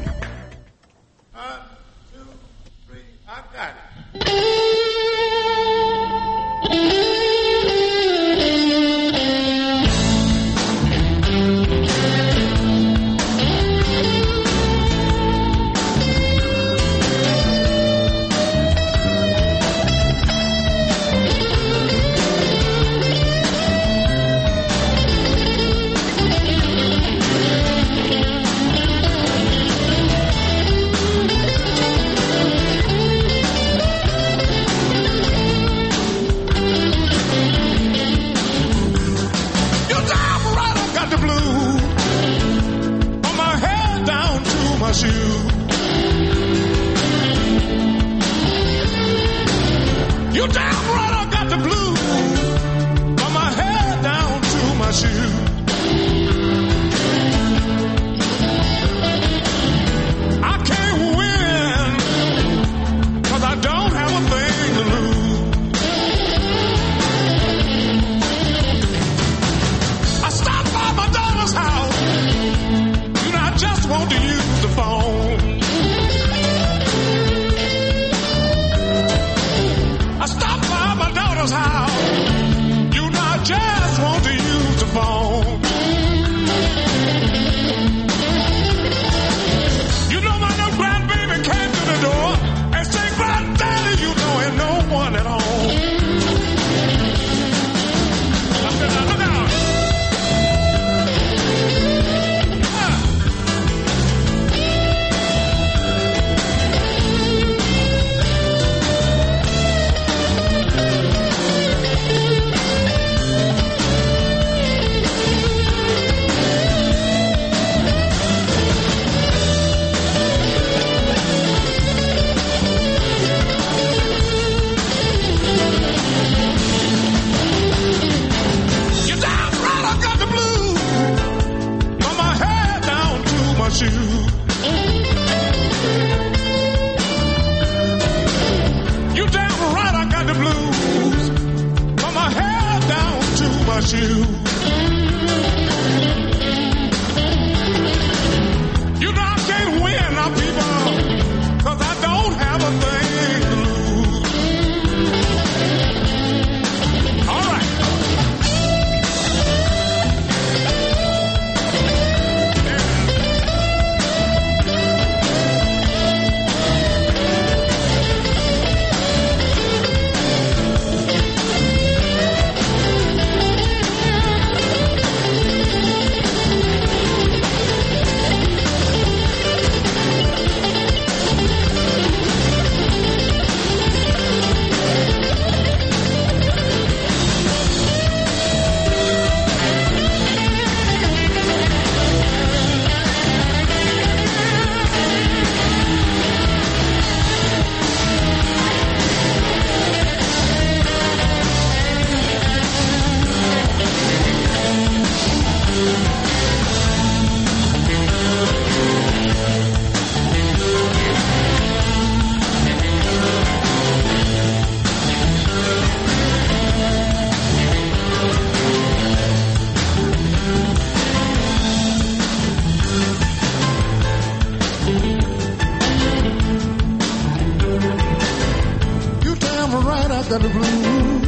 Speaker 14: got the blues.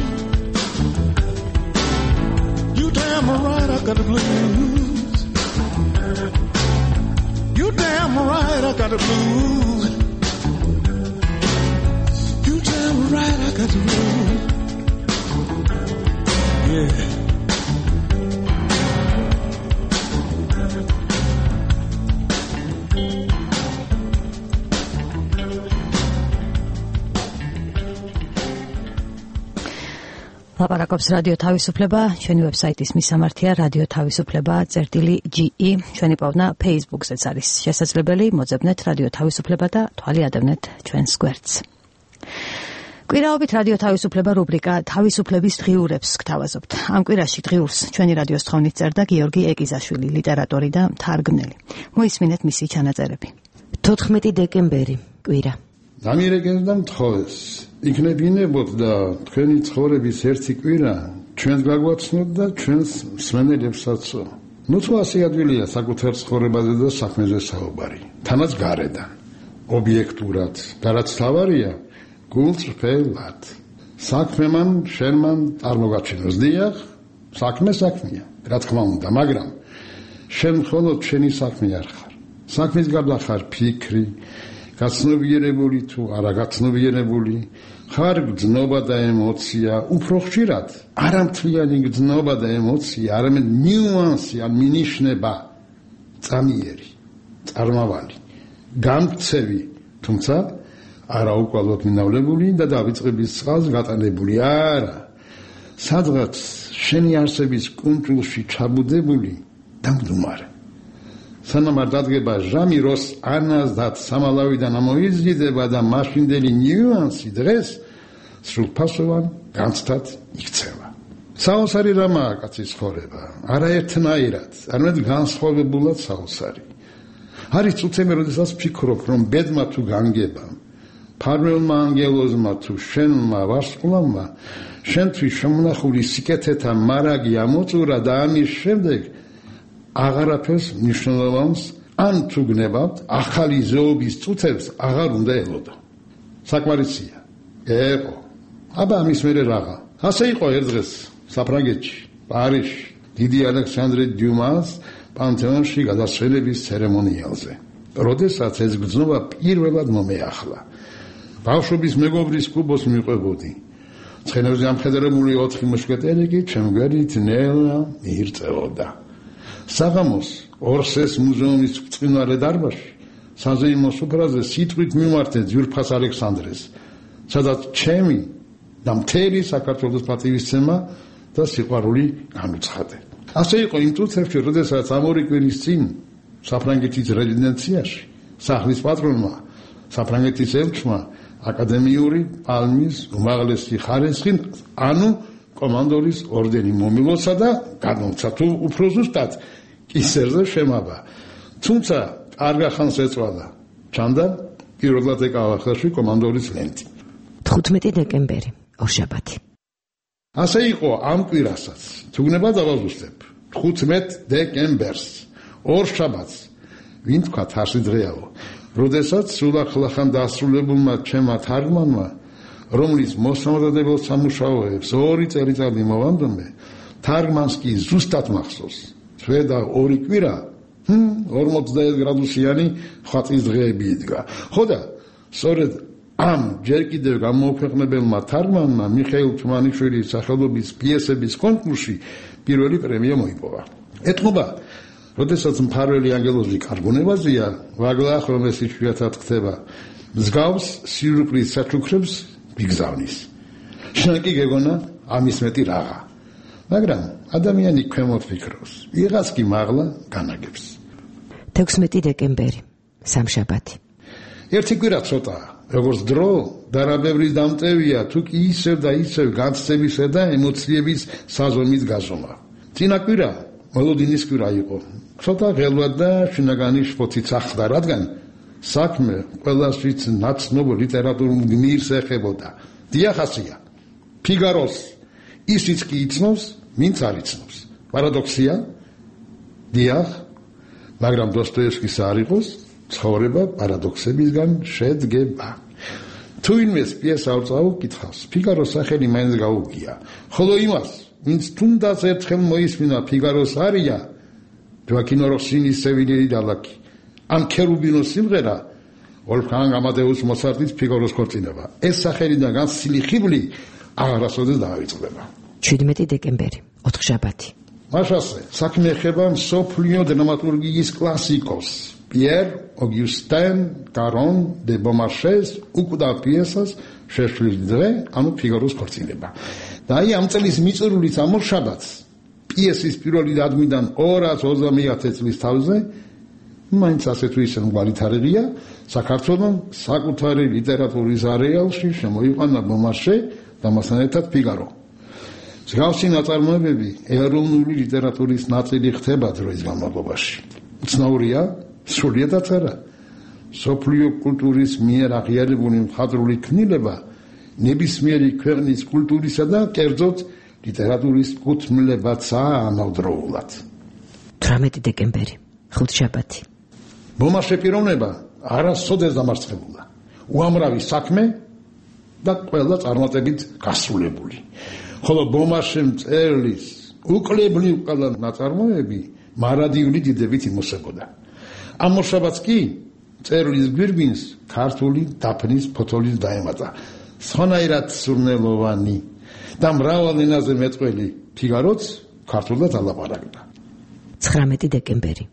Speaker 14: You damn right I got the blues. You damn right I got the blues. You damn right I got the blues. Yeah.
Speaker 2: ლაპარაკობს რადიო თავისუფლება, ჩვენი ვებსაიტის მისამართია radio-tavisupleba.ge, ჩვენი პოვნა Facebook-ზეც არის შესაძლებელი, მოძებნეთ რადიო თავისუფლება და თვალი ადევნეთ ჩვენს გვერდს. კვირაობით რადიო თავისუფლება რუბრიკა თავისუფლების დღიურებს გთავაზობთ. ამ კვირაში დღიურს ჩვენი რადიოს თხოვნით წერდა გიორგი ეკიზაშვილი, ლიტერატორი და მთარგმნელი. მოისმინეთ მისი ჩანაწერები.
Speaker 15: 14 დეკემბერი, კვირა.
Speaker 4: დამირეკეს და მთხოვეს. იქნებინებოდ და თქვენი ცხოვრების ერთი კვირა ჩვენს გაგვაცნოთ და ჩვენს მსმენელებსაც. ნუ თუ ასე ადვილია საკუთარ ცხოვრებაზე და საქმეზე საუბარი. თანაც გარედან, ობიექტურად, და რაც თავარია, გულწრფელად. საქმემან შენმან წარმოგაჩინოს. დიახ, საქმეა, რა თქმა უნდა, მაგრამ შენ მხოლოდ შენი საქმე არ ხარ. საქმის გარდა ხარ ფიქრი, გაცნობიერებული თუ არა გაცნობიერებული, ხარ გრძნობა და ემოცია, უფრო ხშირად არამთვლიანი გრძნობა და ემოცია, არამედ ნიუანსი ან მინიშნება, წამიერი, წარმავალი, გამქცევი, თუმცა არა უკვალოდ მინავლებული და დავიწყების წყალს გატანებული, არა, სადღაც შენი არსების კუნჭულში ჩაბუდებული და მდგომარე. სანამ არ დადგება ჟამი, როს ანაზდაც სამალავიდან ამოიზრდება და მაშინდელი ნიუანსი დღეს სრულფასოვან განცდად იქცევა. საოცარი რამაა კაცის ცხოვრება, არაერთნაირად, არამედ განსხვავებულად საოცარი. არის წუთები, როდესაც ვფიქრობ, რომ ბედმა თუ განგება, ფარველმა ანგელოზმა თუ შენმა ვარსკვლავმა, შენთვის შემონახული სიკეთეთა მარაგი ამოწურა და ამის შემდეგ აღარაფერს მნიშვნელოვანს ან თუ გნებავთ, ახალი ზეობის წუთებს აღარ უნდა ელოდო. საკმარისია. ეყო. აბა ამის მერე რაღა. ასე იყო ერთ დღეს საფრანგეთში, პარიზში, დიდი ალექსანდრე დიუმას პანთეონში გადასვლების ცერემონიალზე. როდესაც ეს გრძნობა პირველად მომეახლა. ბავშვობის მეგობრის კუბოს მიყვებოდი. ცხენებზე ამხედრებული 4 მუშკეტერი კი ჩემგვერით ნელა მიირწეოდა. საღამოს ორსეს მუზეუმის წყინვალე დარბაზში საზეიმო სუფრაზე სიტყვით მიმართე ძვირფას ალექსანდრეს, სადაც ჩემი და მთელი საქართველოს პატივისცემა და სიყვარული განუცხადე. ასე იყო იმ წუთებში, როდესაც ამ ორი კვირის წინ საფრანგეთის რეზიდენციაში სახლის პატრონმა, საფრანგეთის ელჩმა აკადემიური პალმის უმაღლესი ხარისხი, ანუ კომანდორის ორდენი მომილოცა და გადმოცა, თუ უფრო ზუსტად კისერზე შემაბა. თუმცა კარგ ხანს ეწვალა. ჩანდა პირველად ეკავა ხელში კომანდორის ლენტი.
Speaker 15: 15 დეკემბერი, ორშაბათი.
Speaker 4: ასე იყო ამ კვირასაც. თუგნება დავაზუსტებ. 15 დეკემბერს, ორშაბათს. ვინ თქვა თარსი დღეაო, როდესაც სულახლახან დასრულებულმა ჩემმა თარგმანმა, რომლის მოსამზადებელ სამუშაოებს 2 წელიწადი მოვანდომე, თარგმანს კი ზუსტად მახსოვს. შვედა 2 კვირა 40 გრადუსიანი ხვაწის დღეები იდგა. ხო და სწორედ ამ ჯერ კიდევ გამოუქვეყნებელმა თარგმანმა მიხეილ თუმანიშვილის სახელობის პიესების კონკურსში პირველი პრემია მოიპოვა. ეთყობა, როდესაც მფარველი ანგელოზი კარგონებაზეა, ვაგლახ რომ ეს იშვიათად ხდება, მსგავს სიურპრიზ საჩუქრებს მიგზავნის. შენ კი გეგონა ამის მეტი რაღა. მაგრამ ადამიანი ქვემოთ ფიქრობს, ვიღაც კი მაღლა განაგებს.
Speaker 15: 16 დეკემბერი, სამშაბათი.
Speaker 4: ერთი კვირა ცოტაა, როგორც დრო და რა ბევრი დამტევია, თუ კი ისევ და ისევ განცდებისა და ემოციების საზომით გაზომა. წინა კვირა მოლოდინის კვირა იყო. ცოტა ღელვად და შინაგანი შფოთიც ახლდა, რადგან საქმე ყველასთვის ნაცნობ ლიტერატურულ გმირს ეხებოდა. დიახასია. ფიგაროს ისიც კი იცნობს, ვინც არ იცნობს. პარადოქსია? დიახ, მაგრამ დოსტოევსკის არ იყოს, ცხოვრება პარადოქსებისგან შედგება. თუ ვინმეს პიესა არ წაუკითხავს, ფიგაროს სახელი მაინც გაუგია. ხოლო იმას, ვინც თუნდაც ერთხელ მოისმინა ფიგაროს არია, ჯოაკინო როსინის სევილიელი დალაკი, ან ქერუბინოს სიმღერა, ვოლფგანგ ამადეუს მოცარტის ფიგაროს ქორწინება. ეს სახელიდან განსილი ხიბლი აღარასოდეს დაავიწყდება.
Speaker 15: 17 დეკემბერი, ოთხშაბათი.
Speaker 4: მაშასე, საქმე ეხება მსოფლიო დრამატურგიის კლასიკოს Pierre Augustin Caron de Beaumarchais უკდა პიესას შეშლის დღე, ანუ ფიგაროს ქორწინება. და აი ამ წლის მიწურულით ამოშაბათს პიესის პირველი დადგმიდან 250 წლის თავზე მაინც ასე თუ ისე მგვარი თარიღია, საქართველოს საკუთარი ლიტერატურის არეალში შემოიყვანა Beaumarchais და მასთან ერთად ფიგარო. მსგავსი ნაწარმოებები ეროვნული ლიტერატურის ნაწილი ხდება დროის განმავლობაში. უცნაურია, სრულიადაც არა. სოფლიო კულტურის მიერ აღიარებული მხატვრული ქმნილება ნებისმიერი ქვეყნის კულტურისა და კერძოდ ლიტერატურის კუთვნილებაცაა ამავდროულად.
Speaker 15: 18 დეკემბერი, ხუთშაბათი.
Speaker 4: Beaumarchais პიროვნება არასოდეს დამარცხებულა. უამრავი საქმე და ყველა წარმატებით გასრულებული. ხოლო Beaumarchais მწერლის უკლებრივ ყველა ნაწარმოები მარადიული დიდებით იმოსებოდა. ამ მოშაბათს კი მწერლის გვირგვინს ქართული დაფნის ფოთოლის დაემატა. სხვანაირად სურნელოვანი და მრავალ ენაზე მეწყვლელი ფიგაროც ქართულად ალაპარაკდა.
Speaker 15: 19 დეკემბერი,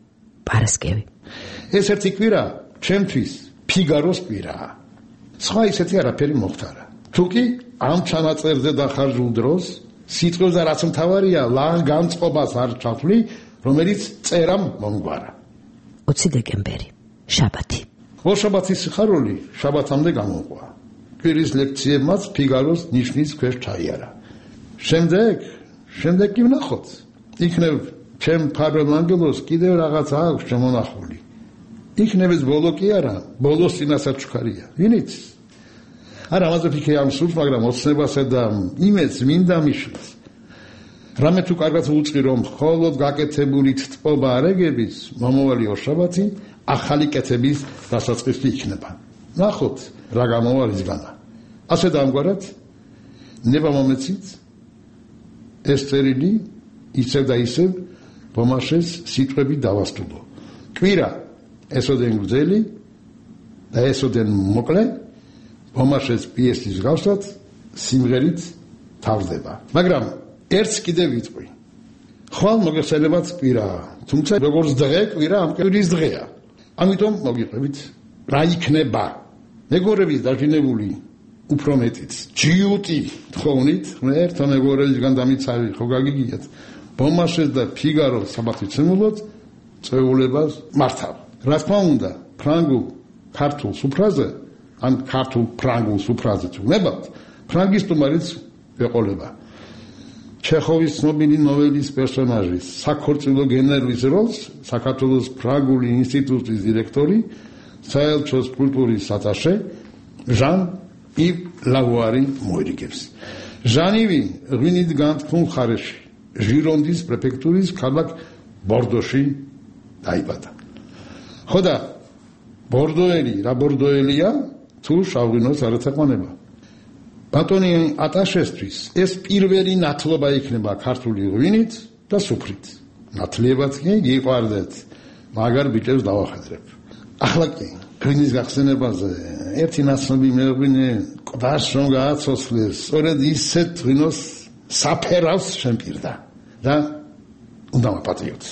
Speaker 15: პარასკევი.
Speaker 4: ეს ერთი კვირა ჩემთვის ფიგაროს კვირაა. სხვა ისეთი არაფერი მოხდარა. თუკი ამ ჩანაწერზე დახარჯულ დროს სიტყვებზე რაც მთავარია ლან განწყობას არ ჩავთვლი, რომელიც წერამ მომგვარა.
Speaker 15: 20 დეკემბერი, შაბათი.
Speaker 4: შაბათის სიხარული შაბათამდე გამოყვა. კვირის ლექციებმაც ფიგაროს ნიშნის ქვეშ ჩაიარა. შემდეგ კი ვნახოთ. იქნებ ჩემ ფარველ ანგელოს კიდევ რაღაც აქვს შემონახული. იქნებ ეს ბოლო კი არა, ბოლოს წინასაც ჩქარია. ვინიც? არა, ამაზე ფიქრი არ მსურს, მაგრამ ოცნებასა და იმედს მინდა მიშლის. რამე თუ კარგად უწყი რომ მხოლოდ გაკეთებული თწობა არეგების მომავალი ორშაბათი ახალი კეთების დასაწყისი იქნება. ნახოთ რა გამოვალისგანა. ასე დაამგვარად ნება მომეცით ეს წერილი ისევ და ისევ Beaumarchais სიტყვები დავასტუდო. კვირა ესოდენ გრძელი და ესოდენ მოკლე Beaumarchais პიესის გავსად სიმღერით თავდება. მაგრამ ერთს კიდევ ვიტყვი. ხვალ მოგეხსენებათ კვირაა, თუმცა როგორც დღე კვირა ამ კვირის დღეა. ამიტომ მოგიყვებით რა იქნება. მეგობრების დაჟინებული უფრო მეტიც ჯიუტი თხოვნით, ერთო მეგობრებისგან დამიცავი ხო გაგიგიათ. Beaumarchais და ფიგარო საბათვიცემულოდ წვეულებას მართავ. რა თქმა უნდა, ფრანგულ ქართულ სუფრაზე ან ქართულ ფრანგულ სუფრაზე თუ ნებავთ, ფრანგის სტუმარიც ეყოლება. ჩეხოვის ცნობილი ნოველის პერსონაჟის საქორწილო გენერლის როლს საქართველოს ფრანგული ინსტიტუტის დირექტორი, საელჩოს კულტურის ატაშე ჟან-ივ ლავუარი მოერიგებს. ჟანივი ღვინით განთქმულ მხარეში, ჟირონდის პრეფექტურის ქალაქ ბორდოში დაიბადა. ხო და ბორდოელი რა ბორდოელია თუ შავღვინოს არ ეთაყვანება. ბატონი ატაშესთვის ეს პირველი ნათლობა იქნება ქართული ღვინით და სუფრით. ნათლიებად კი გიყვარდეთ, მაგარ ბიჭებს დავახადრებ. ახლა კი ღვინის გახსენებაზე ერთი ნაცნობი მეღვინე ყდას რომ გააცოცხლეს, სწორედ ისეთ ღვინოს საფერავს შემპირდა და უნდა მაპატიოთ.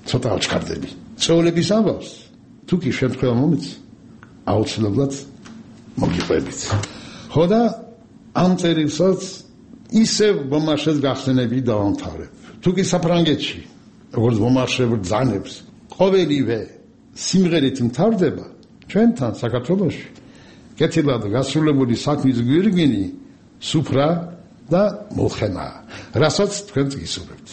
Speaker 4: ცოტა აჩქარდები. წეულების ამბავს თუ კი შემთხვევა მომეც აუცილებლად მოგიყვებით. ხო და ამ წერილსაც ისევ Beaumarchais გახსენები დავამთავრებ. თუ კი საფრანგეთში, როგორც Beaumarchais ბრძანებს, ყოველივე სიმღერით მთავრდება, ჩვენთან საქართველოში კეთილად გასრულებული საქმის გვირგვინი სუფრა და მოლხენა, რასაც თქვენ გისურვებთ.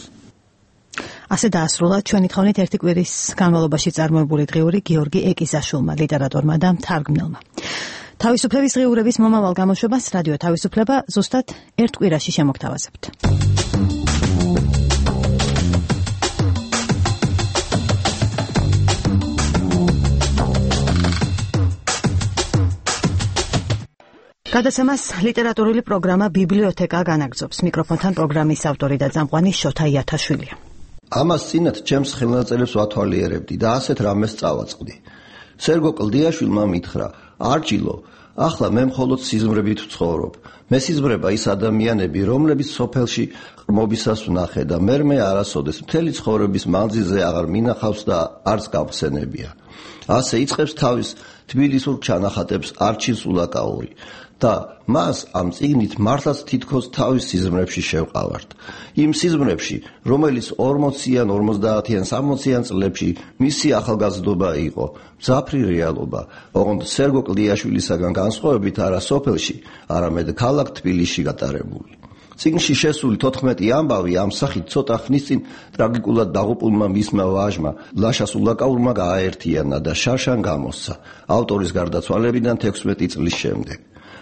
Speaker 2: ასე დაასრულა ჩვენი თხოვნით ერთი კვირის განმავლობაში წარმოებული დღიური გიორგი ეკიზაშვილმა, ლიტერატორმა და მთარგმნელმა. თავისუფლების დღიურების მომავალ გამოშვებას რადიო თავისუფლება ზუსტად ერთ კვირაში შემოგთავაზებთ. გადაცემას ლიტერატურული პროგრამა ბიბლიოთეკა განაგრძობს. მიკროფონთან პროგრამის ავტორი და წამყვანი შოთა იათაშვილია.
Speaker 16: ამას წინათ ჩემს ხელნაწერებს ვათვალიერებდი და ასეთ რამეს წავაწყდი. სერგო კლდიაშვილმა მითხრა: "არჩილო, ახლა მე მხოლოდ სიზმრებით ვცხოვრობ. მე სიზმრება ის ადამიანები, რომლებიც სოფელში ყრმობისას ვნახე და მე არასოდეს მთელი ცხოვრების მანძილზე აღარ მინახავს და არც გავხსენებია." ასე იწყებს თავის თბილისურ ჩანახატებს არჩილ სულაკაური და მას ამ წიგნით მართლაც თითქოს თავის სიზმრებში შევყავართ. იმ სიზმრებში, რომელიც 40-იან, 50-იან, 60-იან წლებში მისი ახალგაზრდობა იყო, მძაფრი რეალობა, ოღონდ სერგო კლდიაშვილისაგან განსხვავებით არა სოფელში, არამედ ქალაქ თბილისში გატარებული. წიგნში შესული 14 ამბავი ამ სახით ცოტა ხნის წინ ტრაგიკულად დაღუპულმა მისმა ვაჟმა ლაშა სულაკაურმა გააერთიანა და შარშან გამოსცა ავტორის გარდაცვალებიდან 16 წლის შემდეგ.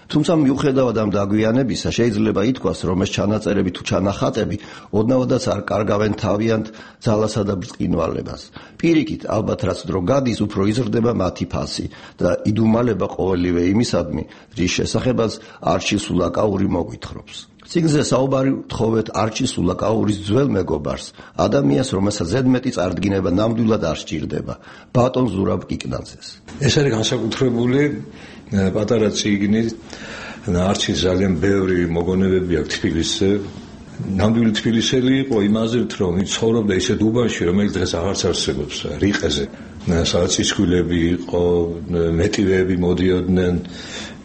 Speaker 16: თუმცა მიუხედავად ამ დაგვიანებისა შეიძლება ითქვას, რომ ეს ჩანაწერები თუ ჩანახატები ოდნავადაც არ კარგავენ თავიანთ ძალასა და ბრწყინვალებას. პირიქით, ალბათ რაც დრო გადის, უფრო იზრდება მათი ფასი და იდუმალება ყოველივე იმისადმი, რის შესახებაც არჩილ სულაკაური მოგვითხრობს. წიგნზე საუბარი ვთხოვეთ არჩილ სულაკაურის ძველ მეგობარს, ადამიანს, რომელსაც ზედმეტი წარდგინება ნამდვილად არ სჭირდება, ბატონ ზურაბ კიკნაძეს.
Speaker 17: ეს არის განსაკუთრებული პატარა წიგნი, არჩილს ძალიან ბევრი მოგონებები აქვს თბილისზე. ნამდვილი თბილისელი იყო იმაზეც, რომ ცხოვრობდა ისეთ უბანში, რომელიც დღეს აღარც არსებობს, რიყეზე. სადაც ცისქვილები იყო, მეტივეები მოდიოდნენ.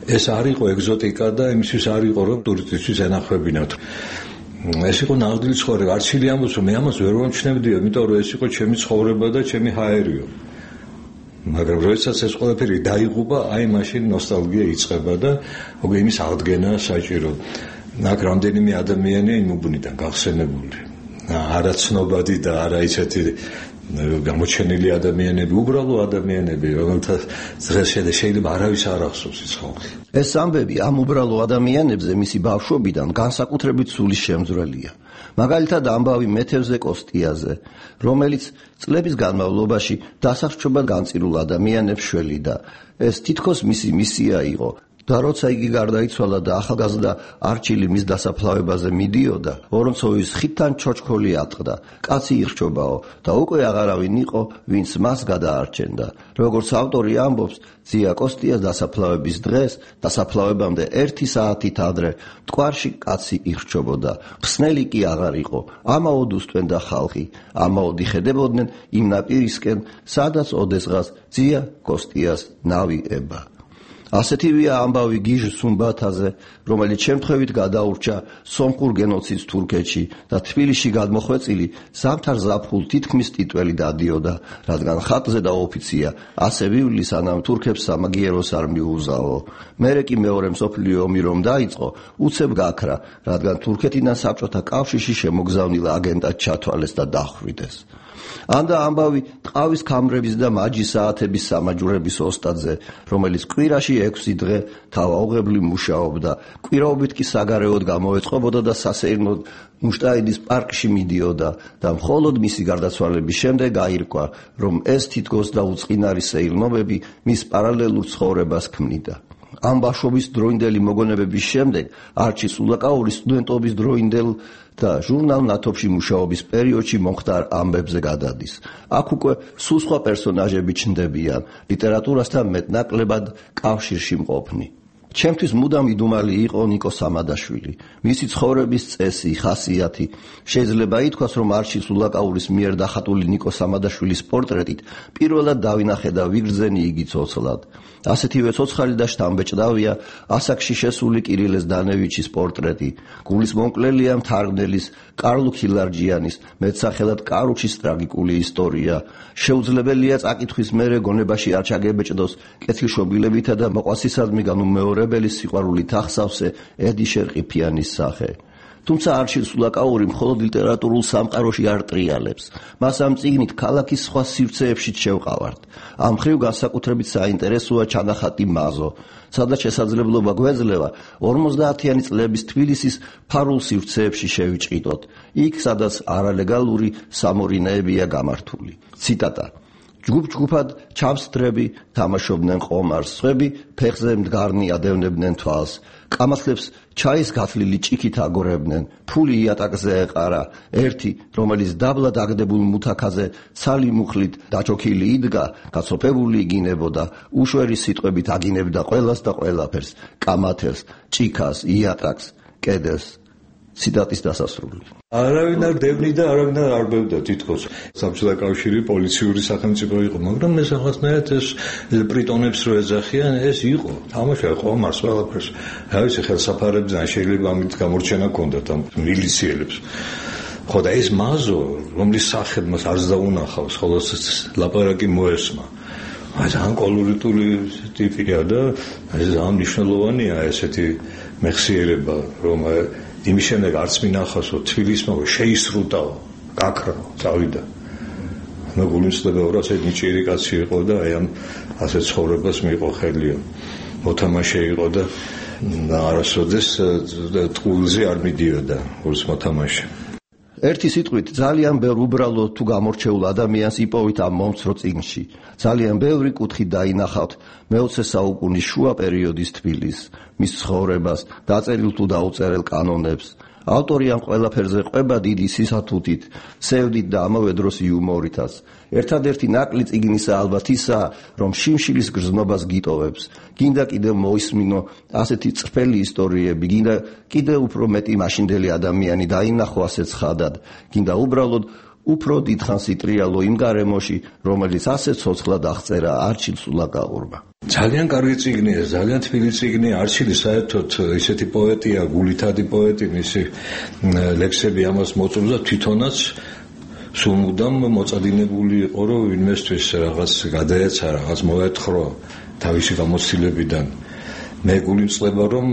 Speaker 17: ეს არ იყო ეგზოტიკა და იმისთვის არ იყო, რომ ტურისტისთვის ენახვებინათ. ეს იყო ნამდვილი ცხოვრება. არჩილი ამბობს, რომ მე ამას ვერ ვამჩნევდია, იმიტომ რომ ეს იყო ჩემი ცხოვრება და ჩემი ჰაერიო. მაგრამ როდესაც ეს ყველაფერი დაიღუპა, აი მაშინ ნოსტალგია იწყება და უკვე იმის აღდგენა საჭირო. აქ რამდენიმე ადამიანია იმ უბნიდან გახსენებული. არა ცნობადი და არა ისეთი გამოჩენილი ადამიანები, უბრალო ადამიანები, რომელთაც დღეს შეიძლება არავის არ ახსოვს ის ხალხი.
Speaker 16: ეს ამბები ამ უბრალო ადამიანებზე მისი ბავშვობიდან განსაკუთრებით სულის შემძვრელია. მაგალითად ამბავი მეთევზე კოსტიაზე, რომელიც წლების განმავლობაში დასახშობად განწირულ ადამიანებს შველიდა. ეს თითქოს მისი მისია იყო. და როცა იგი გარდაიცვალა და ახალგაზრდა არჩილი მის დასაფლავებაზე მიდიოდა, ვორონცოვის ხიდთან ჩოჩქოლი ატყდა. კაცი ირჩობაო და უკვე აღარავინ იყო, ვინც მას გადაარჩენდა. როგორც ავტორი ამბობს, ძია კოსტიას დასაფლავების დღეს, დასაფლავებამდე 1 საათით ადრე, მტკვარში კაცი ირჩობოდა. ხსნელი კი აღარ იყო. ამაოდ უსტვენდა ხალხი, ამაოდ იხედებოდნენ იმ ნაპირისკენ, სადაც ოდესღაც ძია კოსტიას ნავი ება. ასეთივეა ამბავი გიჟ სუმბათაზე, რომელიც შემთხვევით გადაურჩა სომხურ გენოციდს თურქეთში და თბილისში გადმოხვეწილი ზამთარ ზაფხულ თითქმის ტიტველი დადიოდა, რადგან ხატზე და ოფიცია ასე ვივლი, სანამ თურქებს სამაგიეროს არ მიუზაო. მერე კი მეორე მსოფლიო ომი რომ დაიწყო, უცებ გაქრა, რადგან თურქეთიდან საბჭოთა კავშირში შემოგზავნილ აგენტად ჩათვალეს და დახვრიტეს. ანდა ამბავი ტყავის ქამრების და მაჯის საათების სამაჯურების ოსტატზე, რომელიც კვირაში 6 დღე თავაუღებლი მუშაობდა, კვირაობით კი საგარეოდ გამოეწყობოდა და სასეირნოდ მუშტაიდის პარკში მიდიოდა და მხოლოდ მისი გარდაცვალების შემდეგ გაირკვა, რომ ეს თითქოს და უწყინარი სეირნობები მის პარალელურ ცხოვრებას ქმნიდა. ამ ბავშვობის დროინდელი მოგონებების შემდეგ არჩილ სულაკაური სტუდენტობის დროინდელ და ჟურნალ ნათოფში მუშაობის პერიოდში მომხდარ ამბებზე გადადის. აქ უკვე სულ სხვა პერსონაჟები ჩნდებიან, ლიტერატურასთან მეტნაკლებად კავშირში მყოფნი. ჩემთვის მუდამ იდუმალი იყო ნიკო სამადაშვილი. მისი ცხოვრების წესი, ხასიათი. შეიძლება ითქვას, რომ არჩილ სულაკაურის მიერ დახატული ნიკო სამადაშვილის პორტრეტით პირველად დავინახე და ვიგრძენი იგი ცოცხლად. ასეთივე ცოცხალი და შთამბეჭდავია ასაკში შესული კირილე ზდანევიჩის პორტრეტი. გულის მომკლელია მთარგმნელის კარლო ქილარჯიანის მეტსახელად კარუჩის ტრაგიკული ისტორია. შეუძლებელია წაკითხვის მერე გონებაში არ ჩაგებეჭდოს კეთილშობილებითა და მოყვასისადმი განუმეორებელი სიყვარულით ახსავსე ედი შერყიფიანის სახე. თუმცა არჩილ სულაკაური მხოლოდ ლიტერატურულ სამყაროში არ ტრიალებს. მას ამ წიგნით ქალაქის სხვა სივრცეებშიც შევყავართ. ამ მხრივ განსაკუთრებით საინტერესოა ჩანახატი მაზო, სადაც შესაძლებლობა გვეძლევა 50-იანი წლების თბილისის ფარულ სივრცეებში შევიჭიდოთ, იქ სადაც არალეგალური სამორინეებია გამართული. ციტატა: ჯგუფ-ჯგუფად ჩამსდრები თამაშობდნენ ყომარს, სხვები ფეხზე მდგარნი ადევნებდნენ თვალს. კამათლებს ჩაის გათლილი ჭიქით აგორებდნენ, ფული იატაკზე ეყარა, ერთი, რომელიც დაბლა დაგდებულ მუთაქაზე ცალი მუხლით დაჩოქილი იდგა, გაცოფებული იგინებოდა, უშვერი სიტყვებით აგინებდა ყველას და ყველაფერს, კამათელს, ჭიქას, იატაკს, კედელს. ციტატის დასასრული.
Speaker 17: არავინ არ დევნიდა და არავინ არ არბევდა თითქოს. საბჭოთა კავშირი პოლიციური სახელმწიფო იყო, მაგრამ ეს რაღაცნაირად ეს პრიტონებს რო ეძახიან, ეს იყო. თამაში ხო მას ყველაფერს. რა ვიცი, ხელსაფარებზე ან შეიძლება ამით გამორჩენა ჰქონდათ ამ მილიციელებს. ხო და ეს მაზო, რომლის სახედ მას არც დაუნახავს, ხოლო ლაპარაკი მოესმა. ძალიან კოლორიტული ტიპია და ეს ძალიან მნიშვნელოვანია ესეთი მეხსიერება, რომ იმის შემდეგ არც მინახავსო თბილისმა შეისრუტაო, გაქრაო, წავიდა. ანუ გულისხმობა რა ასე ნიჭიერი კაცი იყო და აი ამ ასე ცხოვრებას მიიღო ხელია. მოთამაშე იყო და არასოდეს ტყუილზე არ მიდიოდა გულს მოთამაშე.
Speaker 16: ერთი სიტყვით ძალიან ბევრ უბრალო თუ გამორჩეულ ადამიანს იპოვით ამ მომცრო წიგნში. ძალიან ბევრი კუთხით დაინახავთ მე-20 საუკუნის შუა პერიოდის თბილისს, მის ცხოვრებას, დაწერილ თუ დაუწერელ კანონებს. ავტორი ამ ყველაფერზე ყვება დიდი სისათუთით, სევდით და ამავე დროს იუმორითაც. ერთადერთი ნაკლი წიგნისა ალბათ ისაა, რომ შიმშილის გრძნობას გიტოვებს. გინდა კიდევ მოისმინო ასეთი წრფელი ისტორიები, გინდა კიდევ უფრო მეტი მაშინდელი ადამიანი დაინახო ასეთ ხადად, გინდა უბრალოდ უფრო დიდხანს იტრიალო იმ გარემოში, რომელიც ასე ცოცხლად აღწერა არჩილ სულაკაურმა.
Speaker 17: ძალიან კარგი წიგნია, ძალიან თბილი წიგნია. არჩილი საერთოდ ისეთი პოეტია, გულითადი პოეტი, მისი ლექსები ამას მოწონდა თვითონაც სულ მუდამ მოწადინებული იყო, რომ ვინმესთვის რაღაც გადაეცა, რაღაც მოეთხოვა თავისი გამოცდილებიდან. მე გულიმწყება, რომ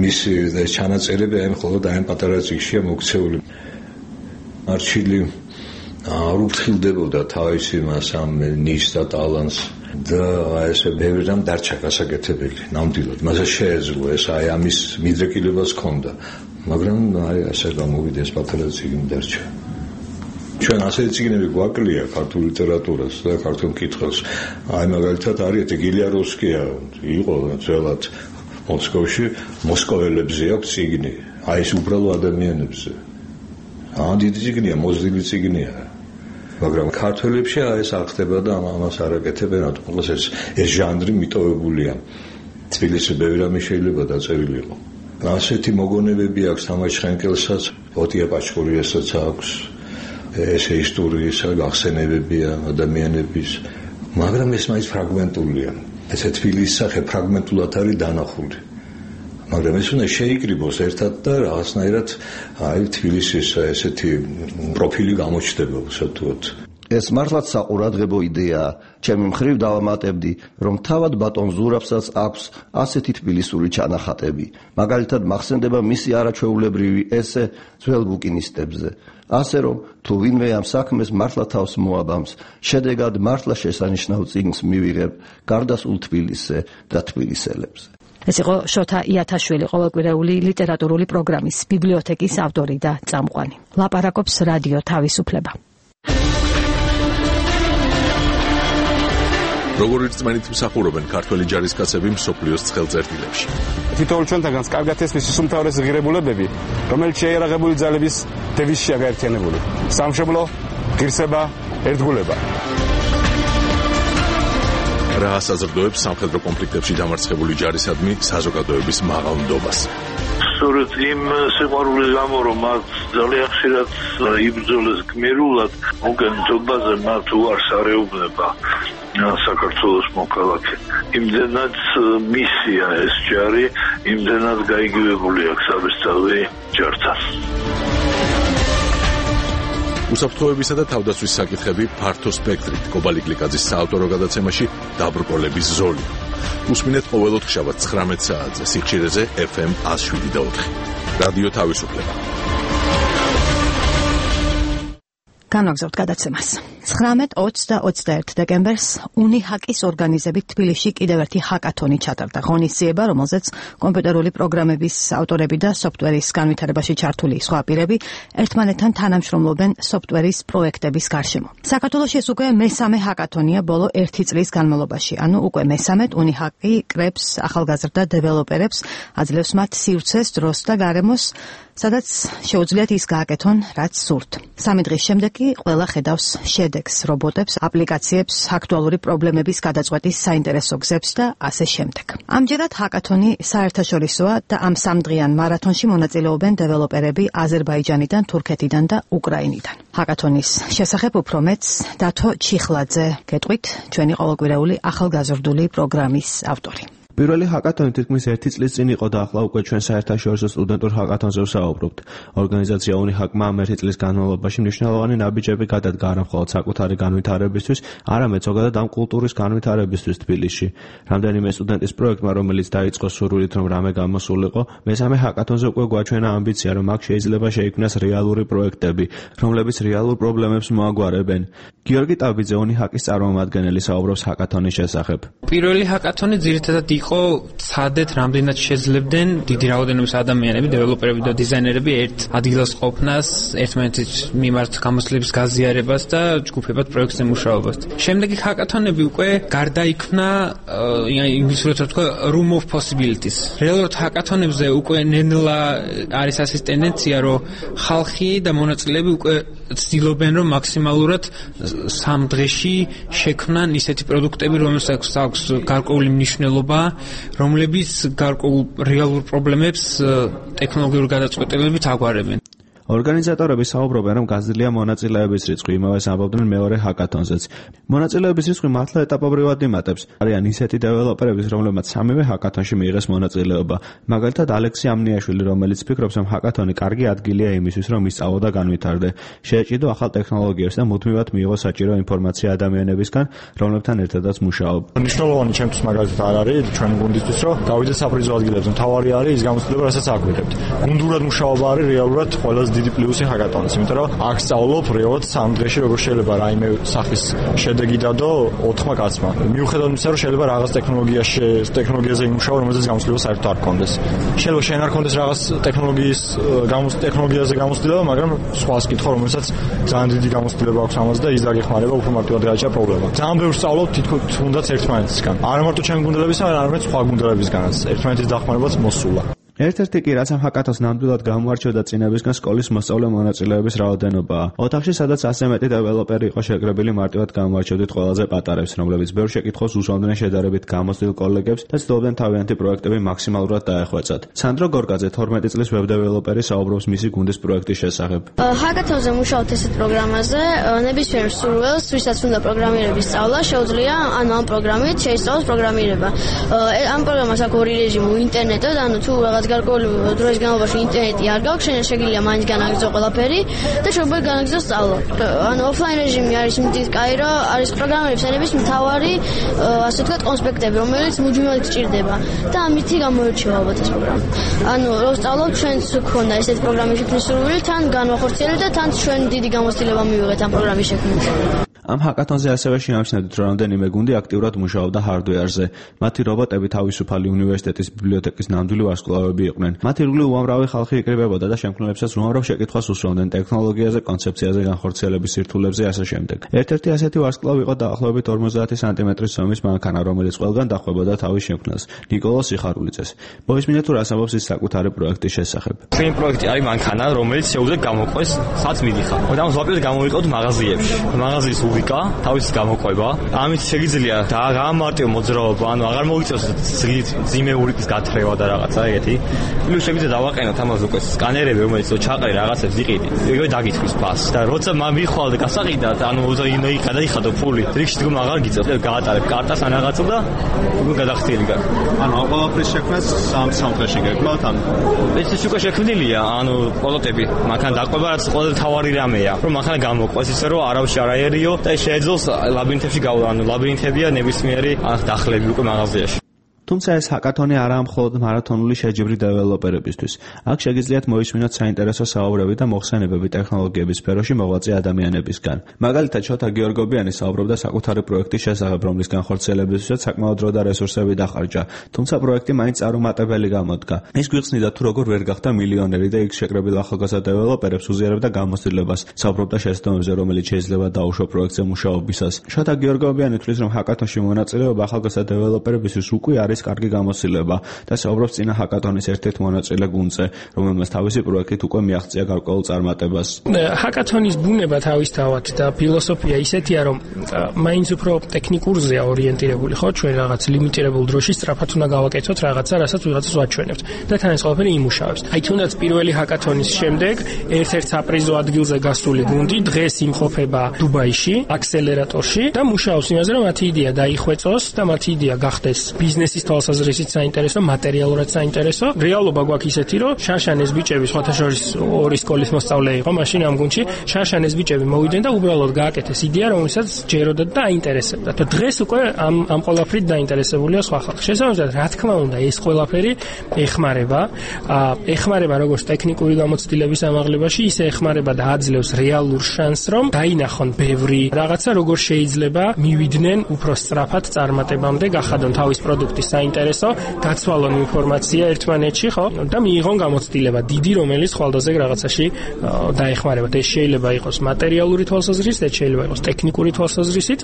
Speaker 17: მისი ჩანაწერები აი მხოლოდ აი პატარა წიგნშია მოქცეული. არჩილი არ უფრთხილდებოდა თავისი მას ამ ნიშს და ტალანტს და ესე ბევრი რამ დარჩა გასაკეთებელი. ნამდვილად, მასა შეეძლო ეს აი ამის მიდრეკილებას ჰქონდა, მაგრამ აი ასე გამოვიდა ეს პატარა წიგნი დარჩა. ჩვენ ასეთი წიგნები გვაკლია ქართულ ლიტერატურას და ქართულ მკითხველს. აი მაგალითად არის გილიაროვსკია, იყო ძველად მოსკოვში, მოსკოველებზე აქვს წიგნი, აი ეს უბრალო ადამიანებზე. დიდი წიგნია, მოზრდილი წიგნია. მაგრამ ქართველებში ეს არ ხდება და ამას არ აკეთებენ, რატომ ეს ჟანრი მიტოვებულია. თბილისში ბევრი რამე შეიძლება დაწერილიყო. ასეთი მოგონებები აქვს თამაშ ხენკელსაც, ოტია პაჩკურიასაც აქვს. ესე ისტორიისა გახსენებებია ადამიანების, მაგრამ ეს მაინც ფრაგმენტულია. ესე თბილისის სახე ფრაგმენტულად არის დანახული. მაგრამ ეს უნდა შეიკრიბოს ერთად და რაღაცნაირად აი თბილისის ესეთი პროფილი გამოჩნდება უსათუოდ.
Speaker 16: ეს მართლაც საყურადღებო იდეაა. ჩემი მხრივ დავამატებდი, რომ თავად ბატონ ზურაბსაც აქვს ასეთი თბილისური ჩანახატები. მაგალითად მახსენდება მისი არაჩვეულებრივი ესე ძველ ბუკინისტებზე. ასე რომ თუ ვინმე ამ საქმეს მართლა თავს მოაბამს, შედეგად მართლა შესანიშნავ წიგნს მივიღებ გარდასულ თბილისზე და თბილისელებზე.
Speaker 2: ეს იყო შოთა იათაშვილი, ყოველკვირეული ლიტერატურული პროგრამის ბიბლიოთეკის ავტორი და წამყვანი. ლაპარაკობს რადიო თავისუფლება.
Speaker 1: როგორ რწმენით მსახურობენ ქართველი ჯარისკაცები მსოფლიოს ცხელწერტილებში.
Speaker 11: თითოეულ ჩვენთაგანს კარგად ესმის ის უმთავრესი ღირებულებები, რომელიც შეიარაღებული ძალების დევიზშია გაერთიანებული. სამშობლო, ღირსება, ერთგულება.
Speaker 1: რა ასაზრდოებს სამხედრო კონფლიქტებში დამარცხებული ჯარისადმი საზოგადოების მაღალ ნდობას.
Speaker 18: სწორედ იმ სიყვარულის გამო, რომ მათ ძალიან ხშირად იბრძოლეს გმირულად, მოგონებაზე მათ უარს არეუბნება საქართველოს მოქალაქე. იმდენად მისია ეს ჯარი, იმდენად გაიგივებული აქვს საბესწავლი ჯართან.
Speaker 1: უსაფრთხოებისა და თავდაცვის საკითხები ფართო სპექტრით. კობალი გლიკაძის საავტორო გადაცემაში დაბრკოლების ზოლი. უსმინეთ ყოველ ოთხშაბათს 19 საათზე სიხშირეზე FM 107.4. რადიო თავისუფლება.
Speaker 2: განვაგრძობთ გადაცემას. 19, 20 და 21 დეკემბერს უნიჰაკის ორგანიზებით თბილისში კიდევ ერთი ჰაკათონი ჩატარდა. ღონისძიება, რომელზეც კომპიუტერული პროგრამების ავტორები და სოფტვერის განვითარებაში ჩართული სხვა პირები ერთმანეთთან თანამშრომლობენ სოფტვერის პროექტების გარშემო. საქართველოში ეს უკვე მესამე ჰაკათონია ბოლო 1 წლის განმავლობაში. ანუ უკვე მესამედ უნიჰაკი კრებს ახალგაზრდა დეველოპერებს, აძლევს მათ სივრცეს, დროს და გარემოს, სადაც შეუძლიათ ის გააკეთონ, რაც სურთ. 3 დღის შემდეგ კი ყველა ხედავს შედეგს, რობოტებს, აპლიკაციებს, აქტუალური პრობლემების გადაწყვეტის საინტერესო გზებს და ასე შემდეგ. ამჯერად ჰაკათონი საერთაშორისოა და ამ 3 დღიან მარათონში მონაწილეობენ დეველოპერები აზერბაიჯანიდან, თურქეთიდან და უკრაინიდან. ჰაკათონის შესახებ უფრო მეტს დათო ჩიხლაძე გეტყვით, ჩვენი ყოველკვირეული ახალგაზრდული პროგრამის ავტორი.
Speaker 19: პირველი ჰაკათონი თითქმის 1 წლის წინ იყო და ახლა უკვე ჩვენ საერთაშორისო სტუდენტურ ჰაკათონზე ვსაუბრობთ. ორგანიზაცია უნიჰაკმა ამ 1 წლის განმავლობაში მნიშვნელოვანი ნაბიჯები გადადგა არა მხოლოდ საკუთარი განვითარებისთვის, არამედ ზოგადად ამ კულტურის განვითარებისთვის თბილისში. რამდენიმე სტუდენტის პროექტმა, რომელიც დაიწყო სურვილით, რომ რამე გამოსულიყო, მესამე ჰაკათონზე უკვე გვაჩვენა ამბიცია, რომ აქ შეიძლება შეიქმნას რეალური პროექტები, რომლებიც რეალურ პრობლემებს მოაგვარებენ. გიორგი ტაბიძე, უნიჰაკის წარმომადგენელი, საუბრობს ჰაკათონის შესახებ.
Speaker 20: პირველი ჰაკათონი ძირითადად იყო ცადეთ რამდენად შეძლებდნენ დიდი რაოდენობის ადამიანები, დეველოპერები და დიზაინერები ერთ ადგილას ყოფნას, ერთმანეთის მიმართ გამოცდილების გაზიარებას და ჯგუფებად პროექტზე მუშაობას. შემდეგი ჰაკათონები უკვე გარდაიქმნა, ინგლისურად თქვა room of possibilities. რეალურად ჰაკათონებზე უკვე ნელა არის ასის ტენდენცია, რომ ხალხი და მონაწილეები უკვე ცდილობენ, რომ მაქსიმალურად 3 დღეში შექმნან ისეთი პროდუქტები, რომელსაც აქვს გარკვეული მნიშვნელობა, რომლებიც გარკვეულ რეალურ პრობლემებს ტექნოლოგიურ გადაწყვეტილებებით აგვარებენ.
Speaker 19: ორგანიზატორები საუბრობენ, რომ გაზრდილია მონაწილეების რიცხვი, იმავეს ამბობდნენ მეორე ჰაკათონზეც. მონაწილეების რიცხვი მართლა ეტაპობრივად იმატებს. არიან ისეთი დეველოპერები, რომლებმაც სამივე ჰაკათონში მიიღეს მონაწილეობა. მაგალითად, ალექსი ამნიაშვილი, რომელიც ფიქრობს, რომ ჰაკათონი კარგი ადგილია იმისთვის, რომ ისწავლო და განვითარდე, შეეჭიდო ახალ ტექნოლოგიებს და მუდმივად მიიღო საჭირო ინფორმაცია ადამიანებისგან, რომლებთან ერთადაც მუშაობ.
Speaker 21: მნიშვნელოვანი ჩემთვის მაგალითად არ არის ჩვენი გუნდისთვის, რომ გავიდეთ საფრიზო ადგილებზე. მთავარი არის ის გამოცდილება, რასაც აქ ვიღებთ. გუნდურად მუშაობა არის რეალურად ყველაზე დიდი პლუსი ჰაკათონის, იმიტომ რომ აქ სწავლობ რეალურად 3 დღეში როგორ შეიძლება რაიმე სახის შედეგი დადო 4 კაცმა. მიუხედავად იმისა, რომ შეიძლება რაღაც ტექნოლოგიაზე იმუშაო, რომელზეც გამოცდილება საერთოდ არ გქონდეს. შეიძლება შენ არ გქონდეს რაღაც ტექნოლოგიაზე გამოცდილება, მაგრამ სხვას კითხო, რომელსაც ძალიან დიდი გამოცდილება აქვს ამაზე და ის დაგეხმარება უფრო მარტივად გააჩა პრობლემა. ძალიან ბევრს სწავლობ თუნდაც ერთმანეთისგან. არა მარტო ჩემი გუნდებისგან, არამედ სხვა გუნდებისგანაც. ერთმანეთის დახმარებაც მოსულა.
Speaker 19: ერთ-ერთი კი რაც ამ ჰაკათონს ნამდვილად გამოარჩევდა წინებისგან სკოლის მოსწავლე მონაწილეების რაოდენობაა. ოთახში, სადაც 100 მეტი დეველოპერი იყო შეკრებილი, მარტივად გამოარჩევდით ყველაზე პატარებს, რომლებიც ბევრ შეკითხვას უსვამდნენ შედარებით გამოცდილ კოლეგებს და ცდილობდნენ თავიანთი პროექტები მაქსიმალურად დაეხვეწათ. სანდრო გორკაძე, 12 წლის ვებ დეველოპერი, საუბრობს მისი გუნდის პროექტის შესახებ.
Speaker 22: ჰაკათონზე მუშაობთ ესეთ პროგრამაზე, ნებისმიერ სურვილს, ვისაც უნდა პროგრამირების სწავლა, შეუძლია ამ პროგრამით შეისწავლოს პროგრამირება. ამ პროგრამას აქვს ორი რეჟიმი, ინტერნეტად, ანუ თუ გარკვეული დროის განმავლობაში ინტერნეტი არ გაქვს, შეგიძლია მაინც განაგრძო ყველაფერი და შეგვიძლია განაგრძო სწავლა. ანუ ოფლაინ რეჟიმი არის იმდით კაი, რომ არის პროგრამერების ენების მთავარი, ასე ვთქვათ, კონსპექტები, რომელიც მუდმივად გჭირდება და ამითი გამოირჩევა ალბათ ეს პროგრამა. ანუ რომ სწავლობთ, ჩვენც გქონდა ესეთი პროგრამის შექმნის სურვილი, თან განვახორციელებთ და თან ჩვენ დიდი გამოცდილება მივიღეთ ამ პროგრამის შექმნით.
Speaker 19: ამ ჰაკათონზე ასევე შეამჩნევთ, რომ რამდენიმე გუნდი აქტიურად მუშაობდა ჰარდვეარზე. მათი რობოტები თავისუფალი უნივერსიტეტის ბიბლიოთეკის ნამდვილი ვარსკვლავები იყვნენ. მათ ირგვლივ უამრავი ხალხი იკრიბებოდა და შემქმნელებსაც უამრავ შეკითხვას უსვამდნენ ტექნოლოგიაზე, კონცეფციაზე, განხორციელების სირთულებზე ასე შემდეგ. ერთ-ერთი ასეთი ვარსკვლავი იყო დაახლოებით 50 სანტიმეტრის ზომის მანქანა, რომელიც ყველგან დახვებოდა თავის შექმნას. ნიკოლო სიხარულიძეს. მოისმინე თუ რას ამბობს ის საკუთარი პროექტის შესახებ.
Speaker 23: ჩვენი პროექტი არის მანქანა, რომელიც შეუძლია გამოყვეს სადაც მიდიხარ. და ზოგადად გამოვიყოთ მაღაზიებში. მაღაზიის უბიკა, თავის გამოყვება. ამით შეგიძლია გაამარტივო მოძრაობა, ანუ აღარ მოიწევს ძიმეურიკის გათხრება და რაღაცა ეგეთი. პლუს შეგიძლია დავაყენოთ ამას უკვე სკანერები, რომელიც ჩაყრე რაღაცებს იყიდი. ეგრევე დაგიწყვის ფასს. და როცა მიხვალ და გასაყიდად, ანუ გადაიხადო ფული, რიგში დგომა აღარ გიწევს. გაატარებ კარტას ან რაღაცა და უკვე გადახდილი გაქვს.
Speaker 21: ანუ ყველაფრის შექმნას 3 დღეში გეკმავთ, ანუ
Speaker 23: ეს უკვე შექმნილია, ანუ პროტოტიპი, მანქანა დაყვება, რაც ყველაზე თავარი რამეა, რომ მანქანა გამოყვეს ისე რომ არავის არ აერიო და შეეძლოს ლაბირინთებში გავლა, ანუ ლაბირინთებია ნებისმიერი დახლები უკვე მაღაზიაში.
Speaker 19: თუ თუმცა ეს ჰაკათონი არაა მხოლოდ მარათონული შეჯიბრი დეველოპერებისთვის. აქ შეგიძლიათ მოისმინოთ საინტერესო საუბრები და მოხსენებები ტექნოლოგიების სფეროში მოღვაწე ადამიანებისგან. მაგალითად, შოთა გიორგობიანი საუბრობდა საკუთარი პროექტის შესახებ, რომლის განხორციელებისთვისაც საკმაოდ დრო და რესურსები დახარჯა, თუმცა პროექტი მაინც წარუმატებელი გამოდგა. ის გვიხსნიდა თუ როგორ ვერ გახდა მილიონერი და იქ შეკრებილ ახალგაზრდა დეველოპერებს უზიარებდა გამოცდილებას, საუბრობდა შესაბამისზე, რომელიც შეიძლება დაუშვა პროექტზე მუშაობისას. შოთა გიორგობიანი თვლის, რომ ჰაკათონში მონაწილეობა ახალგაზრდა დეველოპერებისთვის უკვე არის კარგი გამოცდილება და საუბრობს წინა ჰაკათონის ერთ-ერთ მონაწილე გუნდზე, რომელმაც თავისი პროექტით უკვე მიაღწია გარკვეულ წარმატებას.
Speaker 6: ჰაკათონის ბუნება თავისთავად და ფილოსოფია ისეთია, რომ მაინც უფრო ტექნიკურზეა ორიენტირებული, ხო, ჩვენ რაღაც ლიმიტირებულ დროში სწრაფად უნდა გავაკეთოთ რაღაცა, რასაც ვიღაცას ვაჩვენებთ და თან ეს ყველაფერი იმუშავებს. აი თუნდაც პირველი ჰაკათონის შემდეგ ერთ-ერთ საპრიზო ადგილზე გასული გუნდი დღეს იმყოფება დუბაიში, აქსელერატორში და მუშაობს იმაზე, რომ მათი იდეა დაიხვეწოს და მათი იდეა გახდეს ბიზნესის თვალსაზრისით საინტერესო, მატერიალურად საინტერესო. რეალობა გვაქვს ისეთი, რომ შარშან ეს ბიჭები სხვათა შორის ორი სკოლის მოსწავლე იყო, მაშინ ამ გუნდში შარშან ეს ბიჭები მოვიდნენ და უბრალოდ გააკეთეს იდეა, რომელსაც ჯეროდათ და აინტერესებდა. და დღეს უკვე ამ ყველაფრით დაინტერესებულია სხვა ხალხი. შესაბამისად, რა თქმა უნდა, ეს ყველაფერი ეხმარება როგორც ტექნიკური გამოცდილების ამაღლებაში, ისე ეხმარება და აძლევს რეალურ შანსს, რომ დაინახონ ბევრი რაღაცა, როგორ შეიძლება მივიდნენ უფრო სწრაფად წარმატებამდე, გახადონ თავის პროდუქტის საინტერესო, გაცვალონ ინფორმაცია ერთმანეთში, ხო? და მიიღონ გამოცდილება დიდი, რომელიც ხვალდაზე რაღაცაში დაეხმარება. ეს შეიძლება იყოს მატერიალური თვალსაზრისით, შეიძლება იყოს ტექნიკური თვალსაზრისით.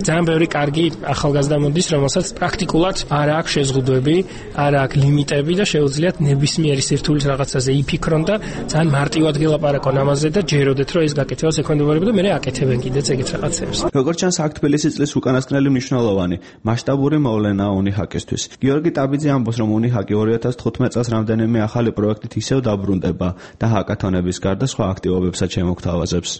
Speaker 6: ძალიან ბევრი კარგი ახალგაზრდა მოდის, რომელსაც პრაქტიკულად არ აქვს შეზღუდვები, არ აქვს ლიმიტები და შეუძლიათ ნებისმიერი სირთულის რაღაცაზე იფიქრონ და ძალიან მარტივად გელაპარაკონ ამაზე და ჯეროდეთ, რომ ეს გაკეთება ექვემდებარება და მე აკეთებენ კიდეც ეგეთ რაღაცებს.
Speaker 19: როგორც ჩანს, აქ თბილისის წლის უკანასკნელი მნიშვნელოვანი მასშტაბური მოვლენაა უნიჰაკისთვის. გიორგი ტაბიძე ამბობს, რომ უნიჰაკი 2015 წელს რამდენიმე ახალი პროექტით ისევ დაბრუნდება და ჰაკათონების გარდა სხვა აქტივობებსაც შემოგთავაზებს.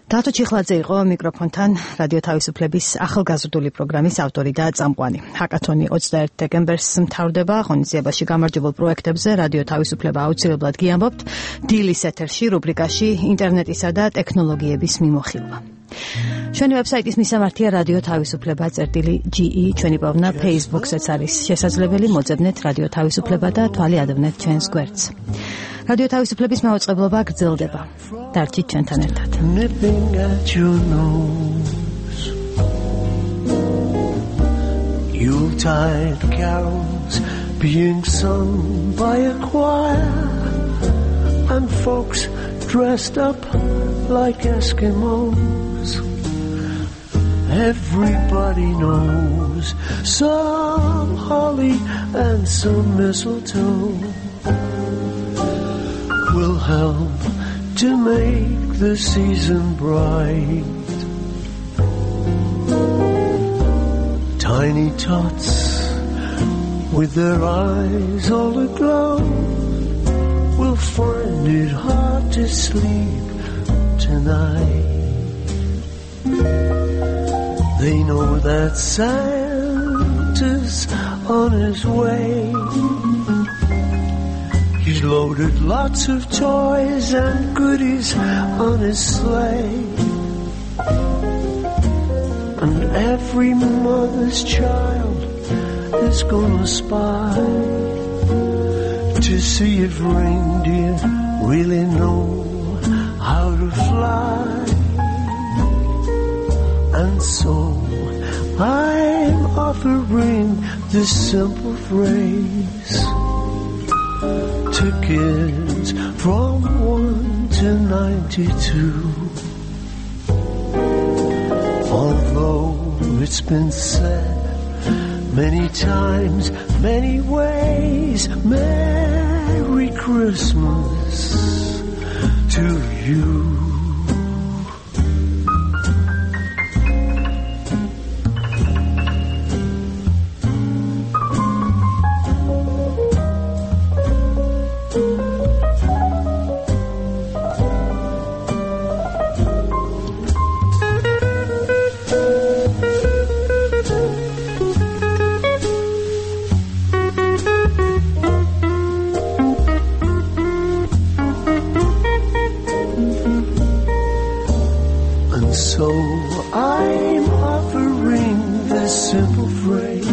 Speaker 2: დათო ჩიხლაძე იყო მიკროფონთან რადიო თავისუფლების ახალგაზრდული პროგრამის ავტორი და წამყვანი. ჰაკათონი 21 დეკემბერს მთავრდება. ღონისძიებაში გამარჯვებულ პროექტებზე რადიო თავისუფლება აუცილებლად გიამბობთ დილის ეთერში რუბრიკაში ინტერნეტისა და ტექნოლოგიების მიმოხილვა. ჩვენი ვებსაიტის მისამართია რადიო თავისუფლება.ge, ჩვენი პოვნა Facebook-ზეც არის შესაძლებელი, მოძებნეთ რადიო თავისუფლება და თვალი ადევნეთ ჩვენს გვერდს. რადიო თავისუფლების მაუწყებლობა გრძელდება. დარჩით ჩვენთან ერთად.
Speaker 14: Yuletide carols being sung by a choir and folks dressed up like Eskimos. Everybody knows some holly and some mistletoe will help to make the season bright. Tiny tots with their eyes all aglow will find it hard to sleep tonight. They know that Santa's on his way. He's loaded lots of toys and goodies on his sleigh. And every mother's child is gonna spy to see if reindeer really know how to fly. And so I'm offering this simple phrase to kids from 1 to 92. Although it's been said many times, many ways, Merry Christmas to you. So I'm offering this simple phrase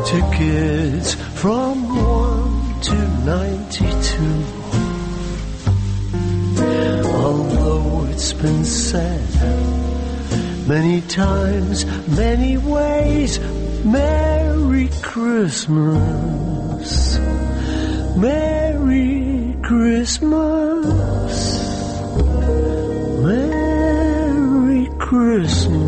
Speaker 14: tickets from 1 to 92. Although it's been said many times, many ways, Merry Christmas, Merry Christmas, Merry Christmas.